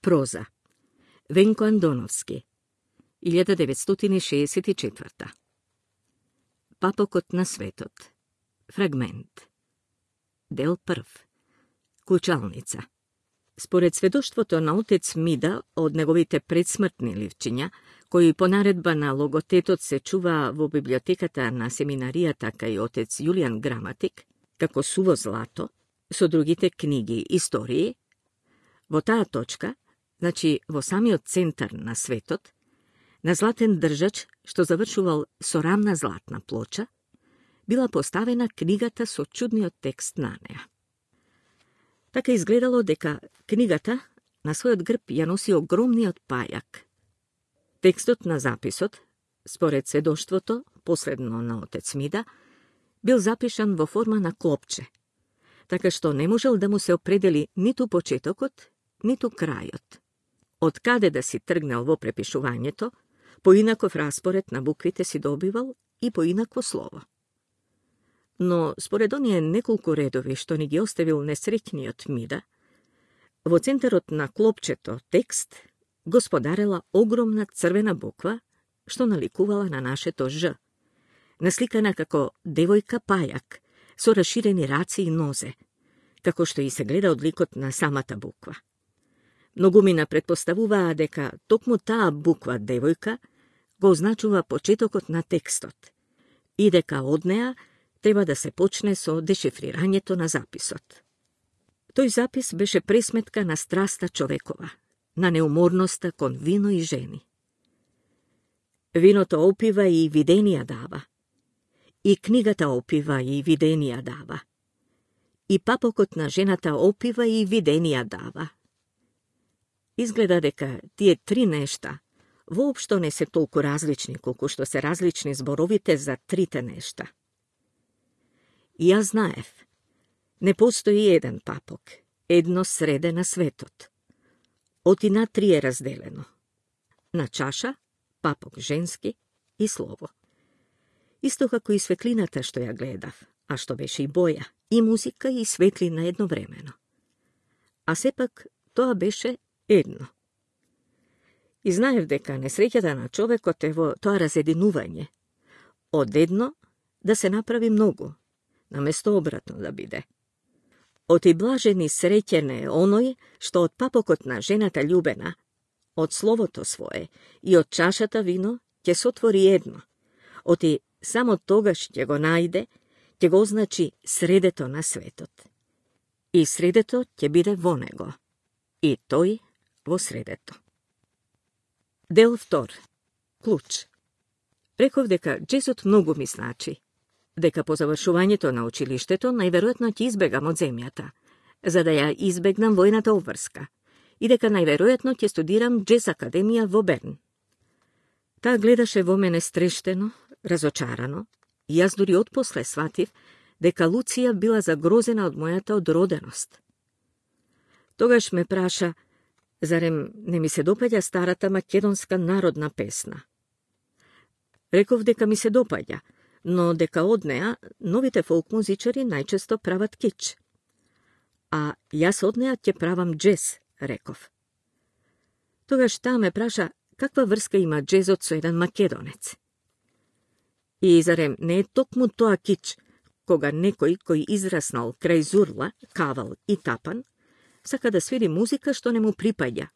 Проза. Венко Андоновски. 1964. Папокот на светот. Фрагмент. Дел прв. Кучалница. Според сведоштвото на отец Мида од неговите предсмртни ливчиња, кои по наредба на логотетот се чуваа во библиотеката на семинаријата кај отец Јулијан Граматик, како суво злато, со другите книги истории, во таа точка, значи во самиот центар на светот, на златен држач, што завршувал со рамна златна плоча, била поставена книгата со чудниот текст на неа. Така изгледало дека книгата на својот грб ја носи огромниот пајак. Текстот на записот, според сведоштвото, последно на отец Мида, бил запишан во форма на клопче, така што не можел да му се определи ниту почетокот, ниту крајот. Од каде да си тргнал во препишувањето, поинаков распоред на буквите си добивал и поинакво слово. Но, според оние неколку редови што ни ги оставил несреќниот Мида, во центарот на клопчето текст господарела огромна црвена буква што наликувала на нашето Ж, насликана како девојка пајак со расширени раци и нозе, како што и се гледа од ликот на самата буква. Многумина предпоставуваа дека токму таа буква девојка го означува почетокот на текстот и дека од неа треба да се почне со дешифрирањето на записот. Тој запис беше пресметка на страста човекова, на неуморноста кон вино и жени. Виното опива и виденија дава, и книгата опива и виденија дава, и папокот на жената опива и виденија дава. Изгледа дека тие три нешта воопшто не се толку различни колку што се различни зборовите за трите нешта. И јас знаев, не постои еден папок, едно среде на светот. Оти на три е разделено. На чаша, папок женски и слово. Исто како и светлината што ја гледав, а што беше и боја, и музика, и светлина едновремено. А сепак тоа беше едно. И знаев дека несреќата на човекот е во тоа разединување. Од едно да се направи многу, наместо обратно да биде. Оти блажен и среќен е оној што од папокот на жената љубена, од словото свое и од чашата вино ќе сотвори едно. Оти само тогаш ќе го најде, ќе го означи средето на светот. И средето ќе биде во него. И тој во средето. Дел втор. Клуч. Реков дека джезот многу ми значи. Дека по завршувањето на училиштето најверојатно ќе избегам од земјата, за да ја избегнам војната обврска, и дека најверојатно ќе студирам джез академија во Берн. Таа гледаше во мене стрештено, разочарано, и јас дури отпосле сватив дека Луција била загрозена од мојата одроденост. Тогаш ме праша, зарем не ми се допаѓа старата македонска народна песна? Реков дека ми се допаѓа, но дека од неа новите фолк музичари најчесто прават кич. А јас од неа ќе правам джез, реков. Тогаш таа ме праша каква врска има джезот со еден македонец. И зарем не е токму тоа кич, кога некој кој израснал крај Зурла, Кавал и Тапан, сака да свири музика што не му припаѓа,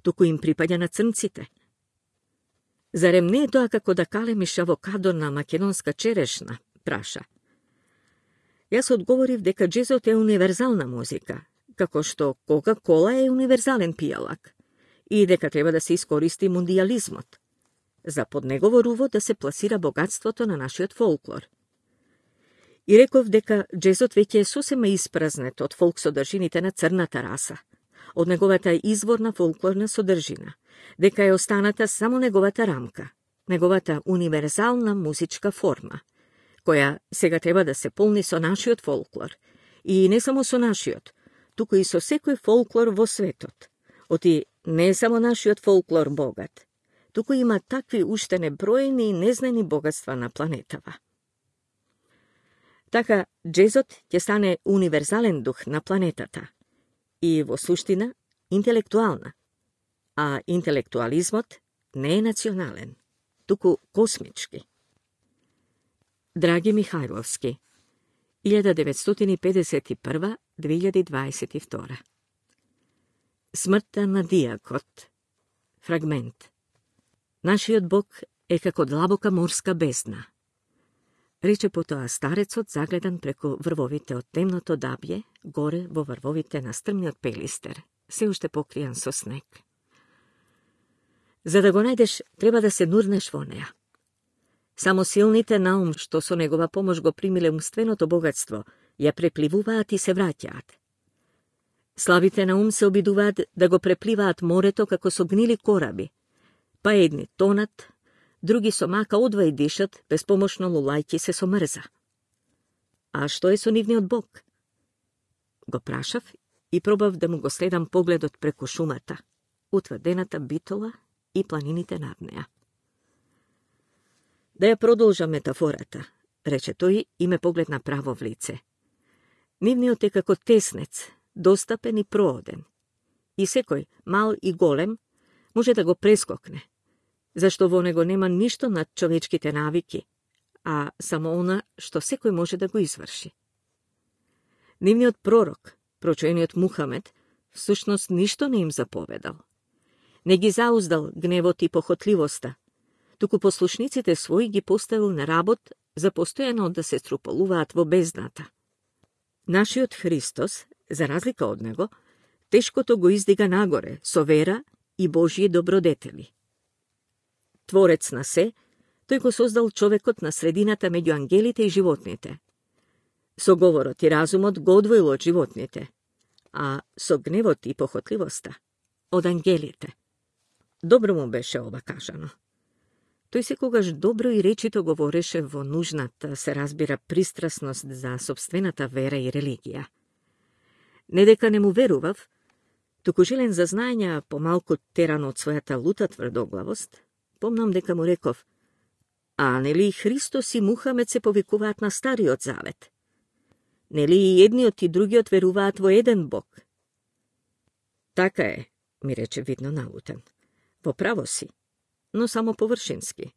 туку им припаѓа на црнците. Зарем не е тоа како да калемиш авокадо на македонска черешна, праша. Јас одговорив дека джезот е универзална музика, како што Кока-кола е универзален пијалак, и дека треба да се искористи мундијализмот, за под негово руво да се пласира богатството на нашиот фолклор. И реков дека джезот веќе е сосема испразнет од фолк содржините на црната раса, од неговата изворна фолклорна содржина, дека е останата само неговата рамка, неговата универзална музичка форма, која сега треба да се полни со нашиот фолклор, и не само со нашиот, туку и со секој фолклор во светот. Оти не е само нашиот фолклор богат, туку има такви уште неброени и незнани богатства на планетава. Така, джезот ќе стане универзален дух на планетата и, во суштина, интелектуална, а интелектуализмот не е национален, туку космички. Драги Михајловски, 1951-2022. Смртта на дијакот. Фрагмент. Нашиот Бог е како длабока морска бездна. Рече потоа старецот загледан преку врвовите од темното дабје, горе во врвовите на стрмниот пелистер, се уште покријан со снег. За да го најдеш, треба да се нурнеш во неа. Само силните наум, што со негова помош го примиле умственото богатство, ја препливуваат и се враќаат. Слабите на ум се обидуваат да го препливаат морето како со гнили кораби, па едни тонат, други со мака одвај дишат, безпомошно лулајќи се со мрза. А што е со нивниот Бог? Го прашав и пробав да му го следам погледот преку шумата, утврдената битола и планините над неа. Да ја продолжам метафората, рече тој и ме погледна право в лице. Нивниот е како теснец, достапен и прооден. И секој, мал и голем, може да го прескокне, зашто во него нема ништо над човечките навики, а само она што секој може да го изврши. Нивниот пророк, прочуениот Мухамед, всушност ништо не им заповедал. Не ги зауздал гневот и похотливоста, туку послушниците своји ги поставил на работ за постојано да се струполуваат во бездната. Нашиот Христос, за разлика од него, тешкото го издига нагоре со вера и Божји добродетели. Творец на се, тој го создал човекот на средината меѓу ангелите и животните. Со говорот и разумот го одвоил од животните, а со гневот и похотливоста од ангелите. Добро му беше ова кажано. Тој секогаш добро и речито говореше во нужната, се разбира, пристрасност за сопствената вера и религија. Не дека не му верував, туку желен за знаења помалку теран од својата лута тврдоглавост, помнам дека му реков: а нели Христос и Мухамед се повикуваат на Стариот Завет? Нели и едниот и другиот веруваат во еден Бог? Така е, ми рече видно налутен. Во право си, но само површински.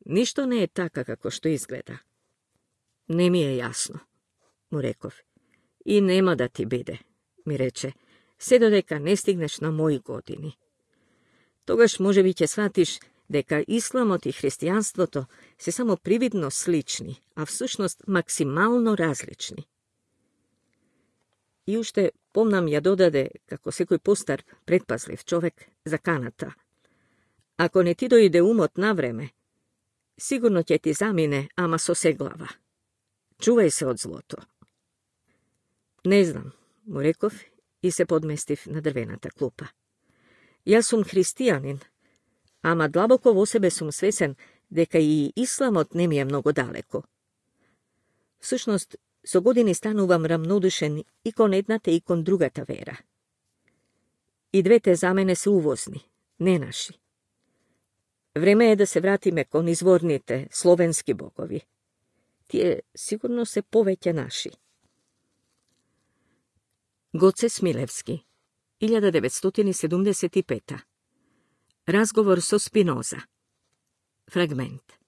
Ништо не е така како што изгледа. Не ми е јасно, му реков. И нема да ти биде, ми рече, се додека не стигнеш на мои години. Тогаш можеби ќе сватиш дека исламот и христијанството се само привидно слични, а всушност максимално различни. И уште помнам ја додаде, како секој постар предпазлив човек, заканата: ако не ти дојде умот на време, сигурно ќе ти замине, ама со сеглава. Чувај се од злото. Не знам, му реков и се подместив на дрвената клупа. Јас сум христијанин, ама длабоко во себе сум свесен дека и исламот не ми е многу далеко. Всушност, со години станувам рамнодушен и кон едната и кон другата вера. И двете за мене се увозни, не наши. Време е да се вратиме кон изворните, словенски богови. Тие сигурно се повеќе наши. Гоце Смилевски, 1975. Разговор со Спиноза. Фрагмент.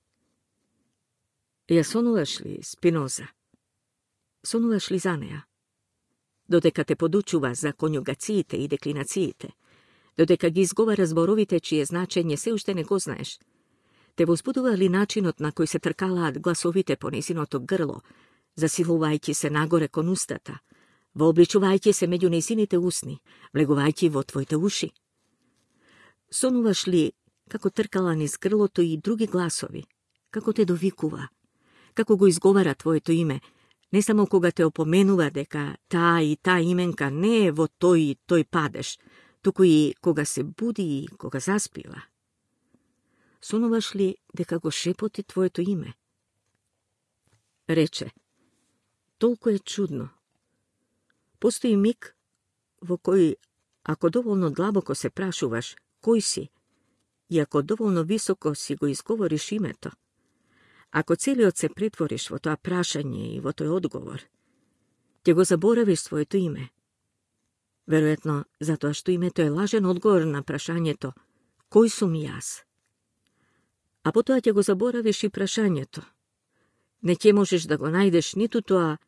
Ја сонуваш ли, Спиноза? Сонуваш ли за неа? Додека те подучува за конјугациите и деклинациите, додека ги изговара зборовите чие значење се уште не го знаеш, те возбудува ли начинот на кој се тркалаат гласовите по незиното грло, засилувајќи се нагоре кон устата, вообличувајќи се меѓу незините усни, влегувајќи во твоите уши? Сонуваш ли како тркала низ грлото и други гласови, како те довикува, како го изговара твоето име, не само кога те опоменува дека таа и таа именка не е во тој и тој падеш, туку и кога се буди и кога заспива? Сонуваш ли дека го шепоти твоето име? Рече: толку е чудно. Постои миг во кој, ако доволно длабоко се прашуваш кој си, и ако доволно високо си го изговориш името, ако целиот се претвориш во тоа прашање и во тој одговор, ќе го заборавиш своето име. Веројатно, затоа што името е лажен одговор на прашањето кој сум јас. А потоа ќе го заборавиш и прашањето. Не ќе можеш да го најдеш ниту тоа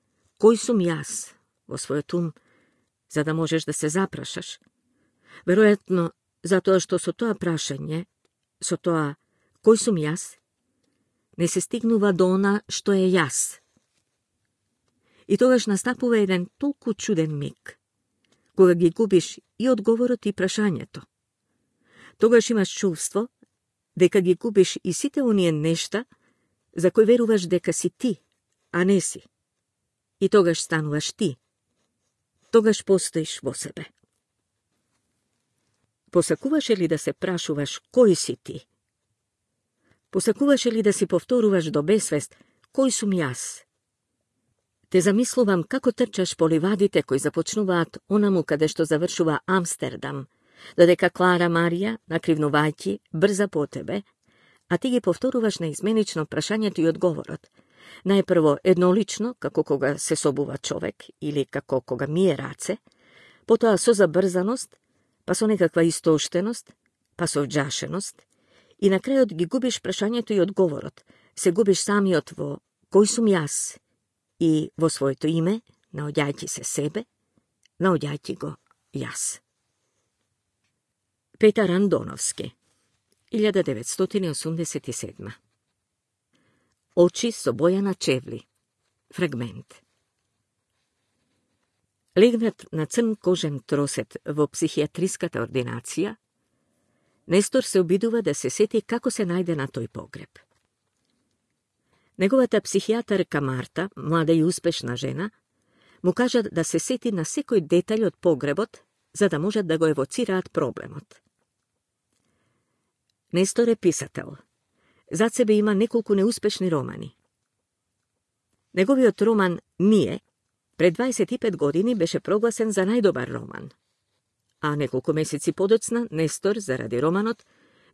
кој сум јас во својот ум, за да можеш да се запрашаш. Веројатно, затоа што со тоа прашање, со тоа кој сум јас, не се стигнува до она што е јас. И тогаш настапува еден толку чуден миг, кога ги губиш и одговорот и прашањето. Тогаш имаш чувство дека ги губиш и сите оние нешта за кои веруваш дека си ти, а не си. И тогаш стануваш ти. Тогаш постоиш во себе. Посакуваше ли да се прашуваш кој си ти? Посакуваше ли да си повторуваш до бесвест кој сум јас? Те замислувам како трчаш по ливадите кои започнуваат онаму каде што завршува Амстердам, додека Клара Марија, накривнувајќи, брза по тебе, а ти ги повторуваш неизменично прашањето и одговорот. Најпрво еднолично, како кога се собува човек, или како кога мие раце, потоа со забрзаност, па со некаква истоштеност, па со вџашеност, и на крајот ги губиш прашањето и одговорот, се губиш самиот во кој сум јас и во своето име, наоѓајќи се себе, наоѓајќи го јас. Петар Андоновски, 1987. Очи со боја на чевли. Фрагмент. Легнат на црн кожен тросет во психијатриската ординација, Нестор се обидува да се сети како се најде на тој погреб. Неговата психијатарка Марта, млада и успешна жена, му кажа да се сети на секој детаљ од погребот, за да можат да го евоцираат проблемот. Нестор е писател. Зад себе има неколку неуспешни романи. Неговиот роман «Ние» пред 25 години беше прогласен за најдобар роман. А неколку месеци подоцна Нестор, заради романот,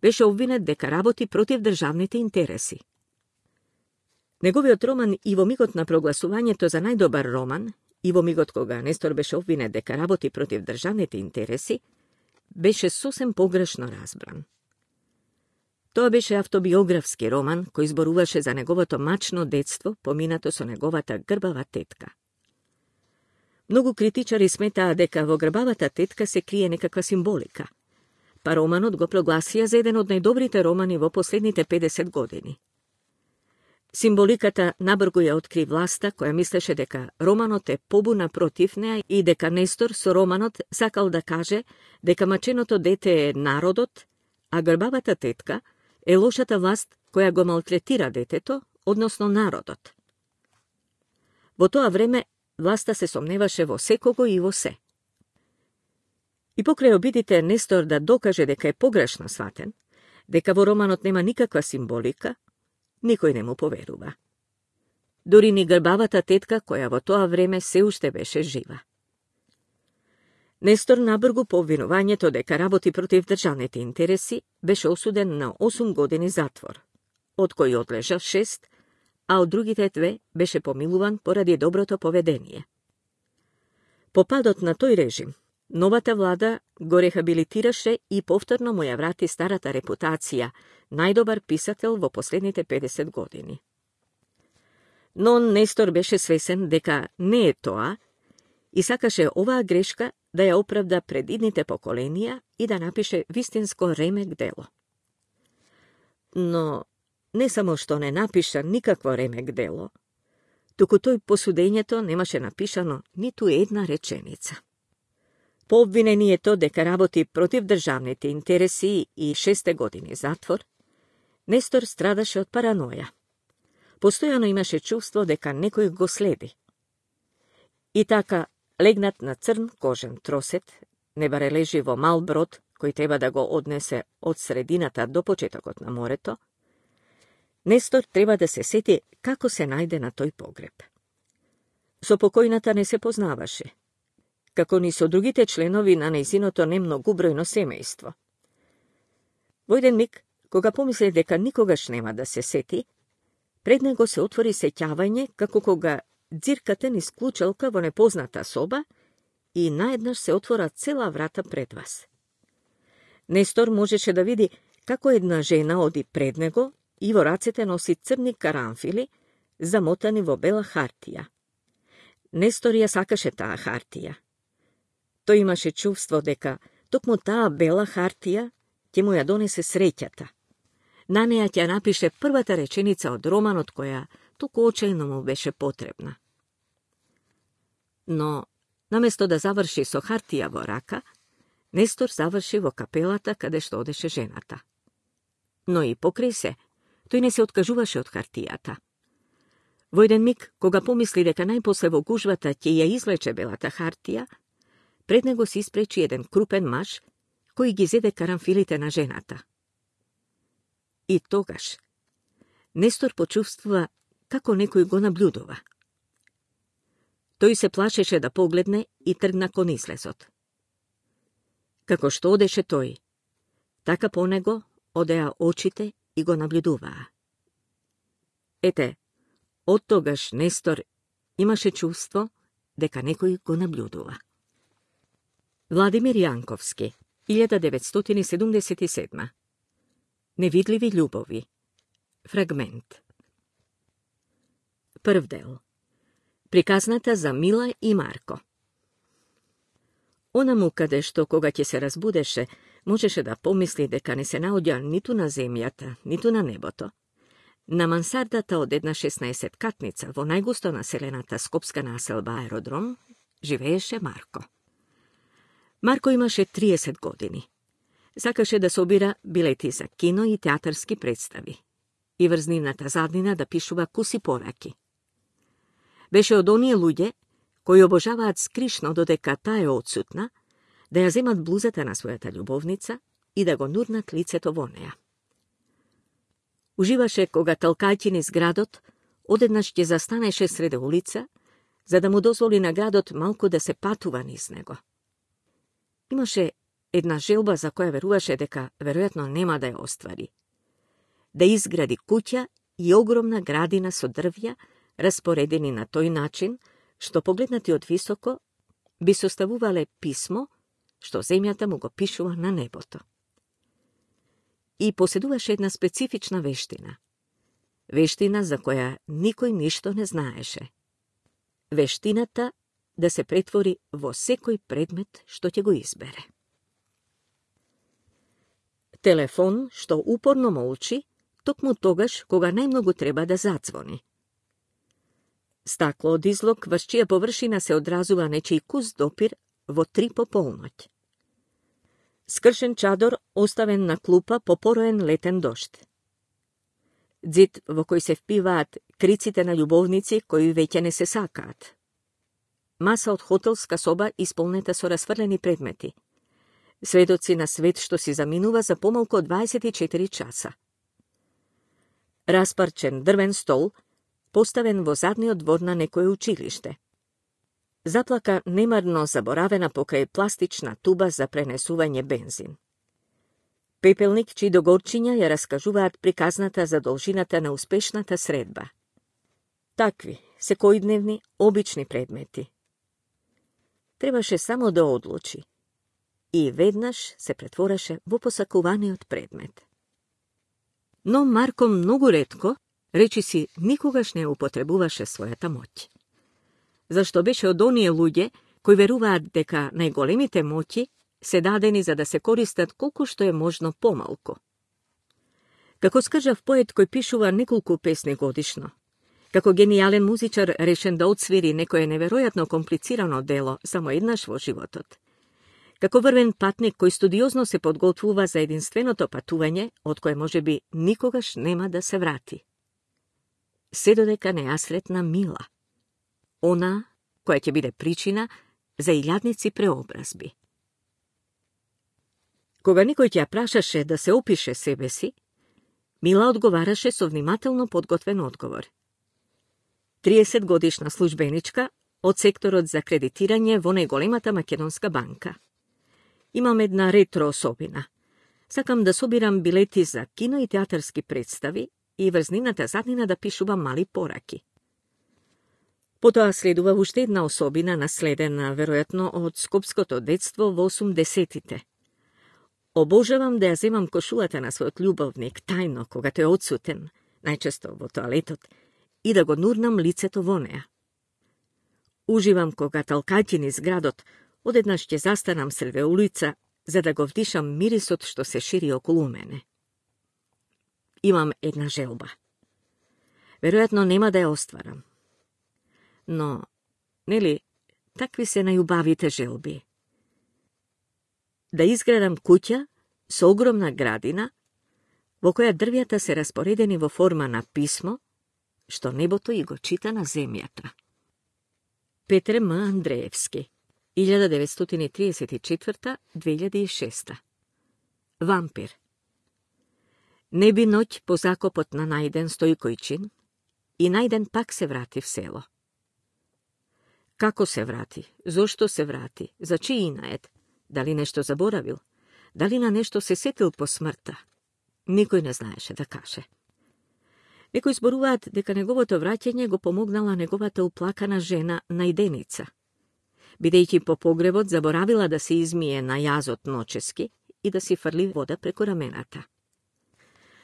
беше обвинет дека работи против државните интереси. Неговиот роман и во мигот на прогласувањето за најдобар роман, и во мигот кога Нестор беше обвинет дека работи против државните интереси, беше сосем погрешно разбран. Тоа беше автобиографски роман кој зборуваше за неговото мачно детство, поминато со неговата грбава тетка. Многу критичари сметаа дека во грбавата тетка се крие некаква символика, па романот го прогласија за еден од најдобрите романи во последните 50 години. Символиката набрзо ја откри власта, која мислеше дека романот е побуна против неа и дека Нестор со романот сакал да каже дека маченото дете е народот, а грбавата тетка е лошата власт која го малтретира детето, односно народот. Во тоа време власта се сомневаше во секого и во се. И покрај обидите Нестор да докаже дека е погрешно сватен, дека во романот нема никаква символика, никој не му поверува. Дури ни грбавата тетка, која во тоа време се уште беше жива. Нестор набргу по обвинувањето дека работи против државните интереси, беше осуден на 8 години затвор, од кои одлежа 6, а од другите 2 беше помилуван поради доброто поведение. По падот на тој режим, новата влада го рехабилитираше и повторно му ја врати старата репутација, најдобар писател во последните 50 години. Но Нестор беше свесен дека не е тоа и сакаше оваа грешка да ја оправда пред идните поколенија и да напише вистинско ремек дело. Но не само што не напиша никакво ремек дело, туку тој по судењето немаше напишано ниту една реченица. По обвинението дека работи против државните интереси и 6 години затвор, Нестор страдаше од параноја. Постојано имаше чувство дека некој го следи. И така, легнат на црн кожен тросет, не баре лежи во мал брод, кој треба да го однесе од средината до почетокот на морето, Нестор треба да се сети како се најде на тој погреб. Со покојната не се познаваше, како ни со другите членови на нејзиното немногу бројно семејство. Во еден миг, кога помисли дека никогаш нема да се сети, пред него се отвори сеќавање како кога дзиркате низ клучалка во непозната соба и наеднаш се отвора цела врата пред вас. Нестор можеше да види како една жена оди пред него и во рацете носи црни карамфили, замотани во бела хартија. Нестор ја сакаше таа хартија. Тој имаше чувство дека токму таа бела хартија ќе му ја донесе среќата. На неја ќе напише првата реченица од романот која толку очајно му беше потребна. Но, наместо да заврши со хартија во рака, Нестор заврши во капелата каде што одеше жената. Но и покрај се, тој не се откажуваше од хартијата. Во еден миг, кога помисли дека најпосле во гужвата ќе ја излече белата хартија, пред него се испречи еден крупен маж, кој ги зеде карамфилите на жената. И тогаш, Нестор почувствува како некој го наблюдува. Тој се плашеше да погледне и тргна кон излезот. Како што одеше тој, така по него одеа очите и го наблюдуваа. Ете, од тогаш Нестор имаше чувство дека некој го наблюдува. Владимир Јанковски, 1977. Невидливи љубови. Фрагмент. Прв дел. Приказната за Мила и Марко. Онаму каде што кога ќе се разбудеше, можеше да помисли дека не се наоѓа ниту на земјата, ниту на небото. На мансардата од една 16-катница во најгусто населената скопска населба Аеродром живееше Марко. Марко имаше 30 години. Сакаше да собира билети за кино и театарски представи и врз нивната заднина да пишува куси пораки. Беше од оние луѓе кои обожаваат скришно додека таа е отсутна, да ја земат блузата на својата љубовница и да го нурнат лицето во неа. Уживаше кога талкајќи низ градот, одеднаш ќе застанеше среде улица, за да му дозволи на градот малку да се патува низ него. Имаше една желба за која веруваше дека веројатно нема да ја оствари. Да изгради куќа и огромна градина со дрвја, распоредени на тој начин, што погледнати од високо, би составувале писмо, што земјата му го пишува на небото. И поседуваше една специфична вештина. Вештина за која никој ништо не знаеше. Вештината да се претвори во секој предмет што ќе го избере. Телефон што упорно молчи, токму тогаш кога најмногу треба да зацвони. Стакло од излог врз чија површина се одразува нечиј кус допир во 3 по полноќ. Скршен чадор оставен на клупа по пороен летен дожд. Дзид во кој се впиваат криците на љубовници кои веќе не се сакаат. Маса од хотелска соба исполнета со расфрлени предмети. Сведоци на свет што си заминува за помалку од 24 часа. Распарчен дрвен стол, поставен во задниот двор на некое училиште. Заплака немарно заборавена покрај пластична туба за пренесување бензин. Пепелник чии до горчиња ја раскажуваат приказната за должината на успешната средба. Такви, секојдневни, обични предмети. Требаше само да одлучи. И веднаш се претвореше во посакуваниот предмет. Но Марко многу ретко, речиси, никогаш не употребуваше својата моќ. Зашто беше од оние луѓе кои веруваат дека најголемите моќи се дадени за да се користат колку што е можно помалку. Како скажав поет кој пишува неколку песни годишно, како генијален музичар решен да отсвири некое неверојатно комплицирано дело само еднаш во животот, како врвен патник кој студиозно се подготвува за единственото патување, од кое можеби никогаш нема да се врати. Се додека не ја сретна Мила, она која ќе биде причина за илјадници преобразби. Кога никој ќе ја прашаше да се опише себе си, Мила одговараше со внимателно подготвен одговор. 30 годишна службеничка од секторот за кредитирање во најголемата македонска банка. Имам една ретро особина. Сакам да собирам билети за кино и театарски представи и врз нивната заднина да пишувам мали пораки. Потоа следува уште една особина, наследена, веројатно, од скопското детство во 80-тите. Обожавам да ја земам кошулата на својот љубовник, тајно, кога тој е одсутен, најчесто во тоалетот, и да го нурнам лицето во неа. Уживам кога талкајќи низ градот, одеднаш ќе застанам среде улица, за да го вдишам мирисот што се шири околу мене. Имам една желба. Веројатно нема да ја остварам. Но, нели, такви се најубавите желби. Да изградам куќа со огромна градина, во која дрвјата се распоредени во форма на писмо, што небото и го чита на земјата. Петре М. Андреевски, 1934-2006. Вампир. Не би ноќ по закопот на Најден Стојкојчин и Најден пак се врати в село. Како се врати? Зошто се врати? За чиј инает? Дали нешто заборавил? Дали на нешто се сетил по смртта? Никој не знаеше да каже. Некои зборуваат дека неговото враќање го помогнала неговата уплакана жена Најденица. Бидејќи по погребот заборавила да се измие на јазот ночески и да си фрли вода преку рамената.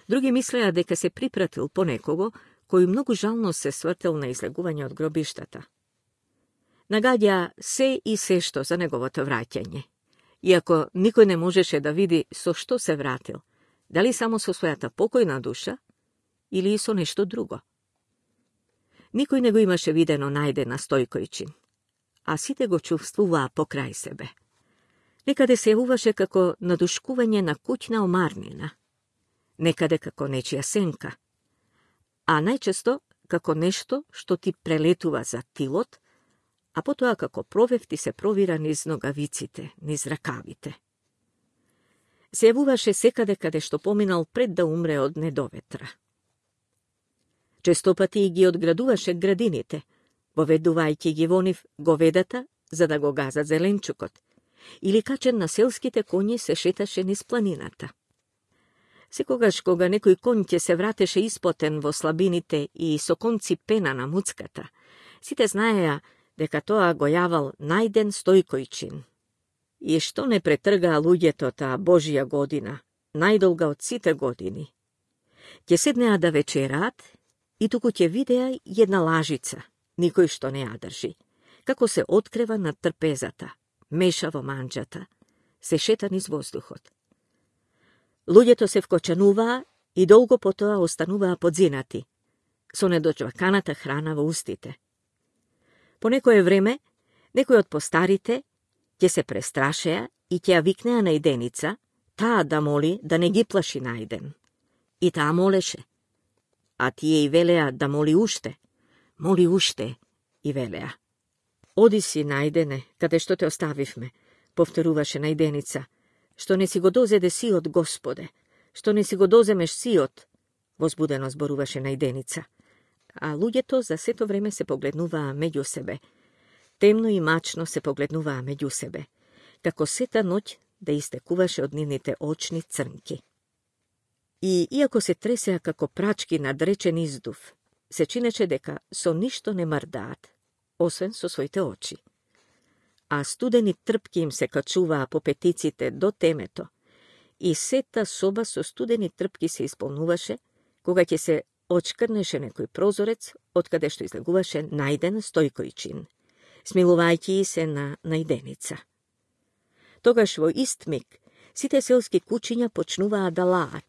Други мислеа дека се припратил по некого кој многу жално се свртел на излегување од гробиштата. Нагаѓа се и се што за неговото враќање. Иако никој не можеше да види со што се вратил, дали само со својата покојна душа или и со нешто друго. Никој не го имаше видено Најдена Стојкојчин, а сите го чувствуваа покрај себе. Некаде се јавуваше како надушкување на куќна омарнина, некаде како нечија сенка, а најчесто како нешто што ти прелетува за тилот, а потоа како провев ти се провира низ ногавиците, низ ракавите. Се јавуваше секаде каде што поминал пред да умре од недоветра. Честопати ги одградуваше градините, воведувајќи ги во нив говедата за да го газат зеленчукот, или качен на селските коњи се шеташе низ планината. Секогаш кога некој конј ќе се вратеше испотен во слабините и со конци пена на муцката, сите знаеа дека тоа го јавал Најден Стојкојчин. И што не претргаа луѓето таа Божја година, најдолга од сите години. Ќе седнеа да вечераат и туку ќе видеа една лажица, никој што не ја држи, како се открева над трпезата, меша во манџата, се шета низ воздухот. Луѓето се вкочануваа и долго потоа остануваа подзинати, со недочваканата храна во устите. По некое време, некој од постарите ќе се престрашеа и ќе ја викнеа Најденица, таа да моли да не ги плаши Најден. И таа молеше. А тие и велеа да моли уште, и велеа. Оди си, Најдене, каде што те оставивме, повторуваше Најденица, што не си го дозеде сиот, Господе, што не си го доземеш сиот, возбудено зборуваше Најденица. А луѓето за сето време се погледнуваа меѓу себе. Темно и мачно се погледнуваа меѓу себе, како сета ноќ да истекуваше од нивните очни црнки. И иако се тресеа како прачки над речен издув, се чинеше дека со ништо не мрдаат, освен со своите очи. А студени трпки им се качуваа по петиците до темето, и сета соба со студени трпки се исполнуваше, кога ќе се очкрнеше некој прозорец, откаде што излегуваше Најден Стојкојчин, смилувајќи се на Најденица. Тогаш во ист миг сите селски кучиња почнуваа да лаат.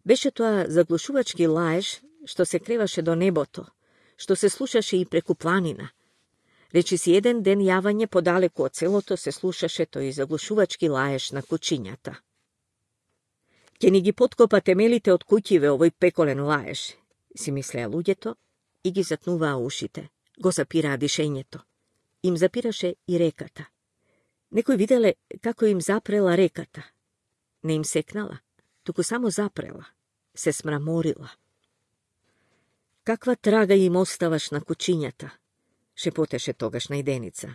Беше тоа заглушувачки лаеж што се креваше до небото, што се слушаше и преку планина. Речиси еден ден јавање подалеку од селото се слушаше тој заглушувачки лаеж на кучињата. Ќе ни ги подкопа темелите од куќиве овој пеколен лаеж, си мислеа луѓето и ги затнуваа ушите, го запираа дишењето. Им запираше и реката. Некој виделе како им запрела реката. Не им секнала, туку само запрела, се смраморила. Каква трага им оставаш на кучињата, шепотеше тогаш Најденица.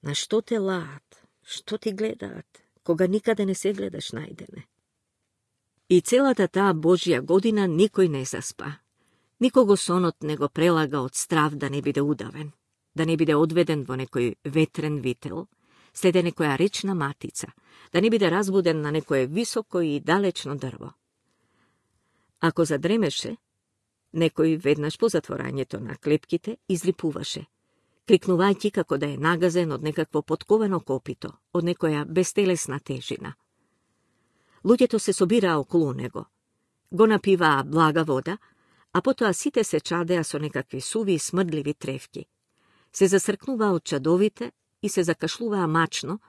На што те лаат, што ти гледаат, кога никаде не се гледаш, Најдене? И целата таа Божја година никој не заспа. Никого сонот не го прелага од страв да не биде удавен, да не биде одведен во некој ветрен вител, следе некоја речна матица, да не биде разбуден на некое високо и далечно дрво. Ако задремеше, некој веднаш по затворањето на клепките излипуваше, крикнувајќи како да е нагазен од некакво потковано копито, од некоја безтелесна тежина. Луѓето се собираа околу него, го напиваа блага вода, а потоа сите се чадеа со некакви суви и смрдливи тревки. Се засркнуваа од чадовите и се закашлуваа мачно,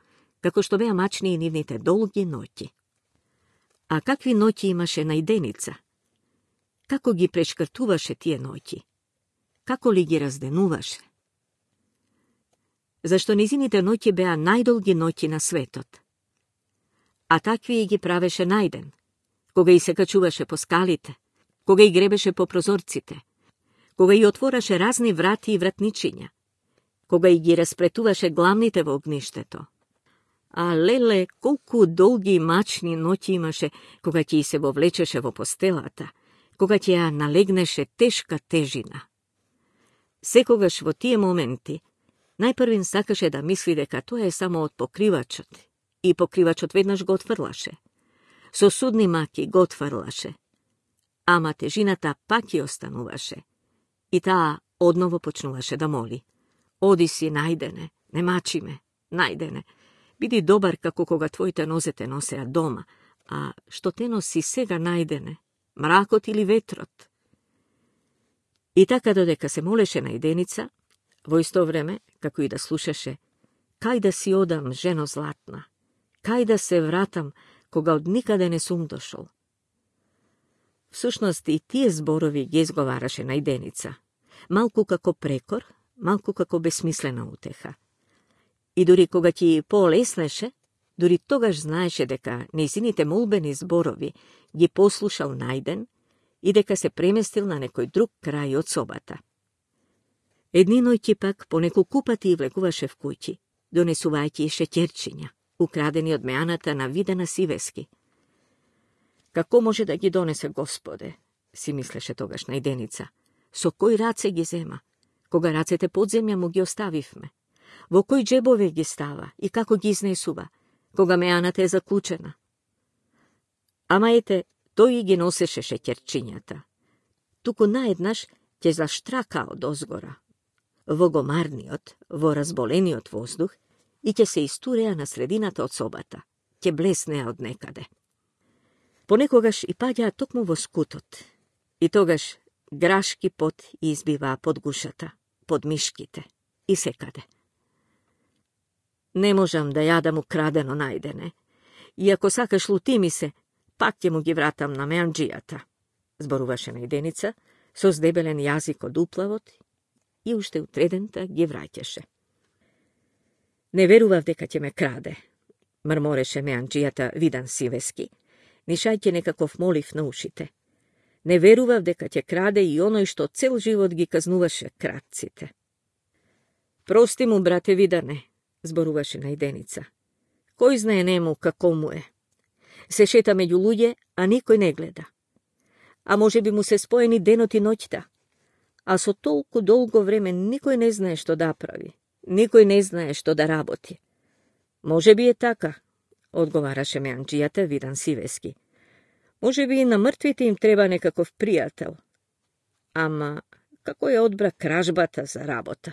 како што беа мачни и нивните долги ноќи. А какви ноќи имаше најденица? Како ги прешкртуваше тие ноќи? Како ли ги разденуваше? Зашто низините ноќи беа најдолги ноќи на светот. А такви и ги правеше најден, кога и се качуваше по скалите, кога и гребеше по прозорците, кога и отвораше разни врати и вратничиња, кога и ги распретуваше главните во огништето. А леле, колку долги и мачни ноќи имаше, кога ќе и се вовлечеше во постелата, кога ќе ја налегнеше тешка тежина. Секогаш во тие моменти, најпрвин сакаше да мисли дека тоа е само од покривачот, и покривачот веднаш го отфрлаше. Со судни маки го отфрлаше. Ама тежината пак ја остануваше. И таа одново почнуваше да моли. Оди си, најдене, не мачи ме, најдене. Биди добар како кога твоите нозе те носеа дома, а што те носи сега најдене, мракот или ветрот. И така додека се молеше најденица, во исто време, како и да слушаше, кај да си одам, жено златна, кај да се вратам, кога од никаде не сум дошол. Всушност и тие зборови ги изговараше најденица, малку како прекор, малку како бесмислена утеха. И дури кога ќе полеснеше, дури тогаш знаеше дека нејзините молбени зборови ги послушал најден и дека се преместил на некој друг крај од собата. Едни ноќи пак по неколку пати влегуваше в куќи, донесувајќи и шеќерчиња, украдени од меаната на Видена Сивески. Како може да ги донесе Господе, си мислеше тогаш најденица, со кој раце ги зема, кога рацете под земја му ги оставивме, во кој джебове ги става и како ги изнесува, кога меаната е заклучена. Ама ете, тој ги носеше шеќерчињата. Туку наеднаш ќе заштрака од озгора, во гомарниот, во разболениот воздух и ќе се истуреа на средината од собата, ќе блеснеа од некаде. Понекогаш и паѓаа токму во скутот, и тогаш грашки пот избиваа под гушата, под мишките и секаде. Не можам да јадам украдено најдене, и ако сакаш лути ми се, пак ќе му ги вратам на меанџијата, зборуваше најденица, со здебелен јазик од уплавот и уште утредента ги враќаше. Не верував дека ќе ме краде, мрмореше меанџијата Виден Сивески, нишајќи некаков молив на ушите. Не верував дека ќе краде и оној што цел живот ги казнуваше кратците. Прости му, брате Видане, зборуваше најденица. Кој знае нему како му е? Се шета меѓу луѓе, а никој не гледа. А може би му се споени денот и ноќта. А со толку долго време никој не знае што да прави. Никој не знае што да работи. Може би е така, одговараше меанџијата Виден Сивески. Може би и на мртвите им треба некаков пријател. Ама, како ја одбра кражбата за работа?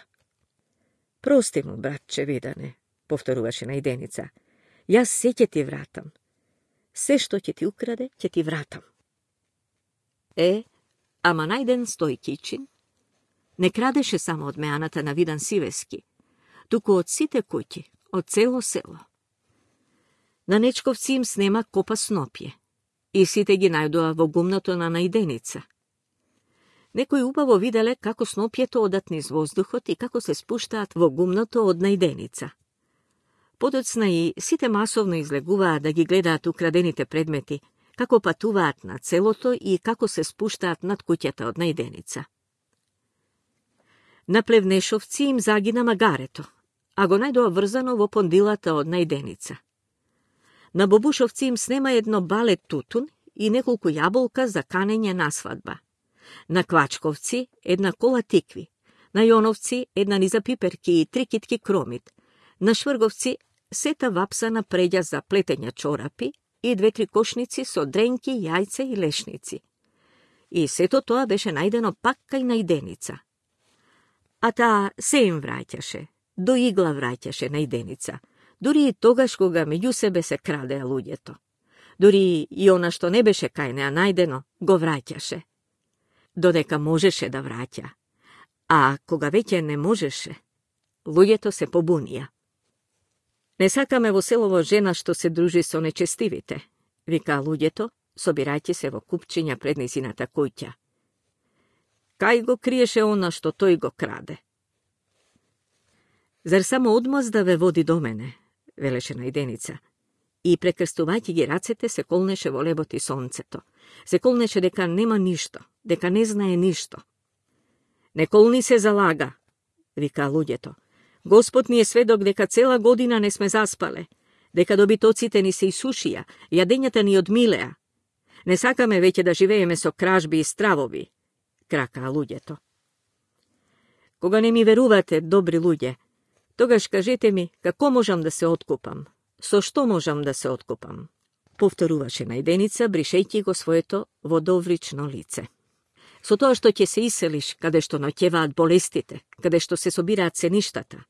Прости му, братче Видане, повторуваше најденица. Јас се ќе ти вратам. Се што ќе ти украде, ќе ти вратам. Ама најден Стојкичин не крадеше само од меаната на Виден Сивески, туку од сите куќи, од цело село. На нечковци им снема копа снопје и сите ги најдоа во гумното на најденица. Некои убаво виделе како снопјето одат низ воздухот и како се спуштаат во гумното од најденица. Подоцна и сите масовно излегуваа да ги гледаат украдените предмети, како патуваат на целото и како се спуштаат над куќата од најденица. На Плевнешовци им загина магарето, а го најдоа врзано во пондилата од најденица. На Бобушовци им снема едно бале тутун и неколку јаболка за канење на свадба, На Квачковци една кола тикви, на Јоновци една низа пиперки и 3 китки кромит, на Шврговци сета вапсана преѓа за плетења чорапи и 2-3 кошници со дренки, јајца и лешници. И сето тоа беше најдено пак кај најденица. А таа се им враќаше, до игла враќаше најденица, дури и тогаш кога меѓу себе се крадеа луѓето. Дури и она што не беше кај неа најдено, го враќаше. Додека можеше да враќа, а кога веќе не можеше, луѓето се побунија. Не сакаме во селово жена што се дружи со нечестивите, вика луѓето, собирајќи се во купчиња пред низината куќа. Кај го криеше она што тој го краде? Зар само одмаз да ве води до мене, велеше најденица, и прекрстувајќи ги рацете се колнеше во лебот и сонцето. Се колнеше дека нема ништо, дека не знае ништо. Не колни се залага, вика луѓето. Господ ни е сведок дека цела година не сме заспале, дека добитоците ни се исушија, јадењата ни одмилеа. Не сакаме веќе да живееме со кражби и стравови, кракаа луѓето. Кога не ми верувате, добри луѓе, тогаш кажете ми како можам да се откупам, со што можам да се откупам, повторуваше најденица, бришејќи го своето водоврично лице. Со тоа што ќе се иселиш, каде што ноќеваат болестите, каде што се собираат сеништата,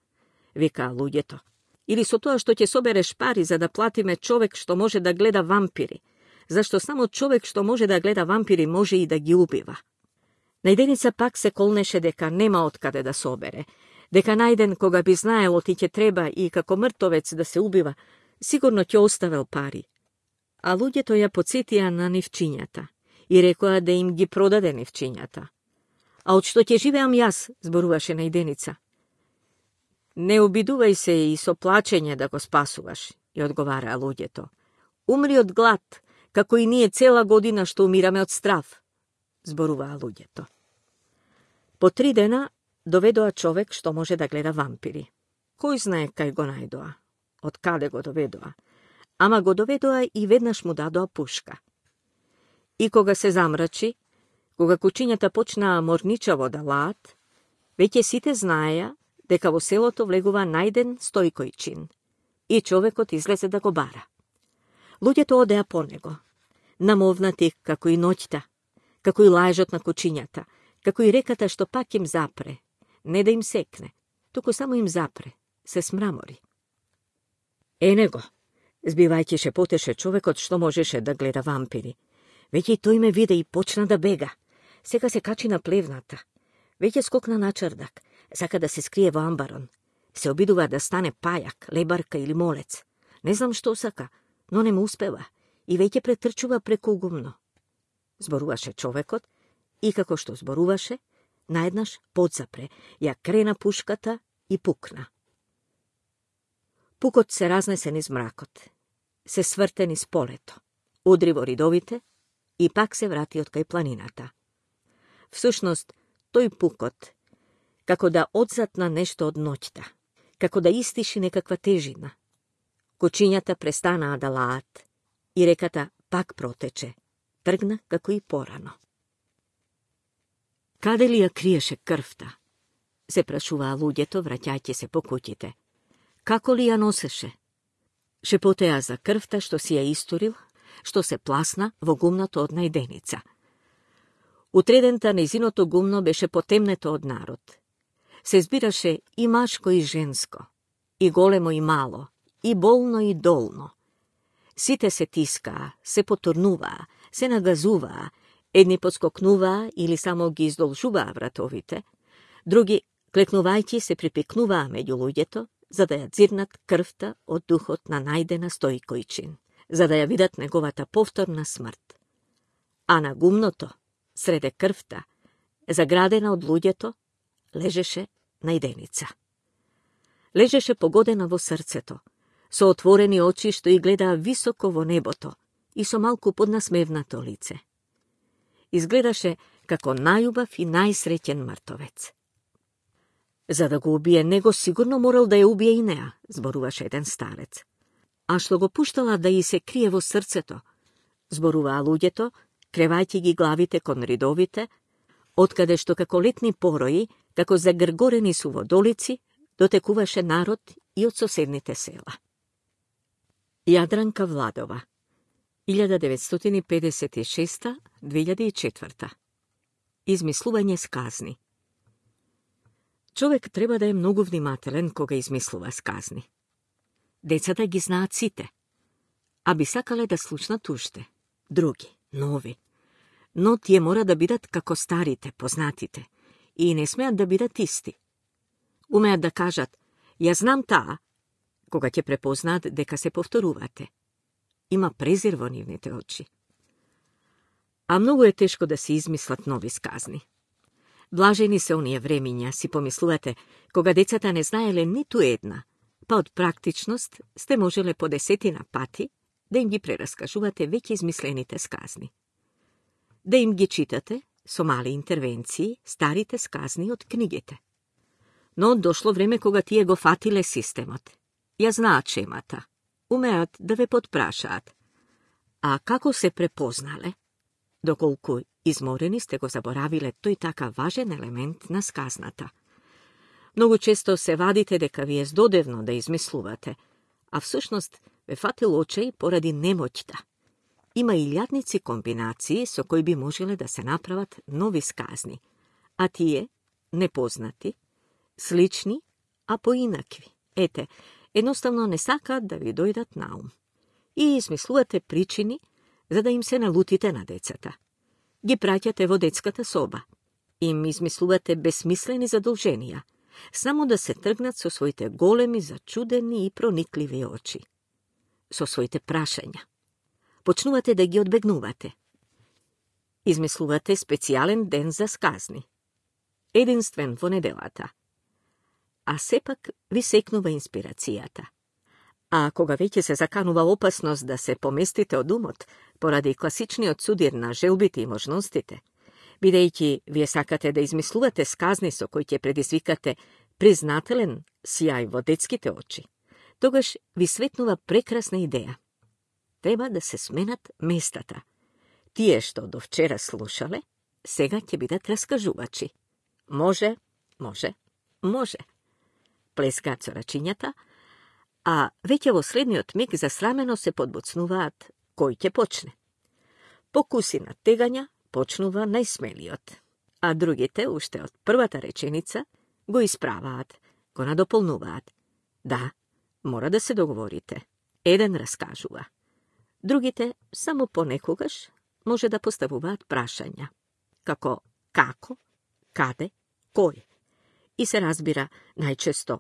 вика луѓето. Или со тоа што ќе собереш пари за да платиме човек што може да гледа вампири, зашто само човек што може да гледа вампири може и да ги убива. Најденица пак се колнеше дека нема откаде да собере, дека најден кога би знаел ти ќе треба и како мртовец да се убива, сигурно ќе оставел пари. А луѓето ја потсетија на нивчињата и рекоа да им ги продаде нивчињата. А од што ќе живеам јас, зборуваше најденица. Не обидувај се и со плачење да го спасуваш, ја одговараа луѓето. Умри од глад, како и ние цела година што умираме од страв, зборуваа луѓето. По 3 дена доведоа човек што може да гледа вампири. Кој знае кај го најдоа, од каде го доведоа, ама го доведоа и веднаш му дадоа пушка. И кога се замрачи, кога кучињата почнаа морничаво да лаат, веќе сите знаеја дека во селото влегува најден Стојкојчин и човекот излезе да го бара. Луѓето одеа по него, намовнати како и ноќта, како и лаежот на кучињата, како и реката што пак им запре, не да им секне, туку само им запре, се смрамори. Ене го, збивајќи шепотеше човекот што можеше да гледа вампири. Веќе и тој ме виде и почна да бега. Сега се качи на плевната. Веќе скокна на чрдак, сака да се скрие во амбарон. Се обидува да стане пајак, лебарка или молец. Не знам што сака, но не му успева и веќе претрчува преку гумно. Зборуваше човекот и како што зборуваше, наеднаш подзапре, ја крена пушката и пукна. Пукот се разнесе низ мракот, се сврте низ полето, удри во ридовите и пак се врати од кај планината. Всушност, тој пукот, како да одзатна нешто од ноќта, како да истиши некаква тежина. Кучињата престанаа да лаат и реката пак протече, тргна како и порано. Каде ли ја криеше крвта? Се прашуваа луѓето, враќајќи се по куќите. Како ли ја носеше? Шепотеа за крвта што си ја историл, што се пласна во гумното од најденица. Утредента нејзиното гумно беше потемнето од народ. Се збираше и машко и женско, и големо и мало, и болно и долно. Сите се тискаа, се потурнуваа, се нагазуваа, едни подскокнуваа или само ги издолжуваа вратовите, други, клекнувајќи, се припикнуваа меѓу луѓето, за да ја дзирнат крвта од духот на најдена Стојкојчин, за да ја видат неговата повторна смрт. А на гумното, среде крвта, заградена од луѓето, лежеше најденица. Лежеше погодена во срцето, со отворени очи што и гледаа високо во небото и со малку поднасмевнато лице. Изгледаше како најубав и најсреќен мртовец. За да го убие него, сигурно морал да ја убие и неа, зборуваше еден старец. А што го пуштала да и се крие во срцето, зборуваа луѓето, кревајќи ги главите кон ридовите, откаде што како летни порои, како загргорени су водолици, дотекуваше народ и од соседните села. Јадранка Владова, 1956-2004. Измислување сказни. Човек треба да е многу внимателен кога измислува сказни. Децата ги знаат сите, а би сакале да слушнат уште, други, нови. Но тие мора да бидат како старите, познатите, и не смеат да бидат исти. Умеат да кажат, ја знам таа, кога ќе препознаат дека се повторувате. Има презир во нивните очи. А многу е тешко да се измислат нови сказни. Блажени се оние времиња, си помислувате, кога децата не знаеле ниту една, па од практичност сте можеле по 10 пати да им ги прераскажувате веќе измислените сказни. Да им ги читате, со мали интервенции, старите сказни од книгите. Но дошло време кога тие го фатиле системот. Ја знаат шемата, умеат да ве подпрашаат. А како се препознале? Доколку изморени сте го заборавиле тој така важен елемент на сказната. Многу често се вадите дека ви е здодевно да измислувате, а всушност ве фатил очај поради немоќта. Има илјадници комбинации со кои би можеле да се направат нови сказни, а тие, непознати, слични, а поинакви. Ете, едноставно не сакаат да ви дојдат на ум. И измислувате причини за да им се налутите на децата. Ги праќате во детската соба. Им измислувате безсмислени задолженија, само да се тргнат со своите големи, зачудени и проникливи очи. Со своите прашања. Почнувате да ги одбегнувате. Измислувате специјален ден за сказни. Единствен во неделата. А сепак ви секнува инспирацијата. А кога веќе се заканува опасност да се поместите од умот поради класичниот судир на желбите и можностите, бидејќи вие сакате да измислувате сказни со кои ќе предизвикате признателен сјај во детските очи, тогаш ви светнува прекрасна идеја. Треба да се сменат местата. Тие што до вчера слушале, сега ќе бидат раскажувачи. Може, може, може. Плескаат со рачињата, а веќе во следниот миг засрамено се подбуцнуваат кој ќе почне. Покуси на тегања почнува најсмелиот, а другите, уште од првата реченица, го исправаат, го надополнуваат. Да, мора да се договорите. Еден раскажува. Другите, само понекогаш, може да поставуваат прашања. Како како, каде, кој. И се разбира најчесто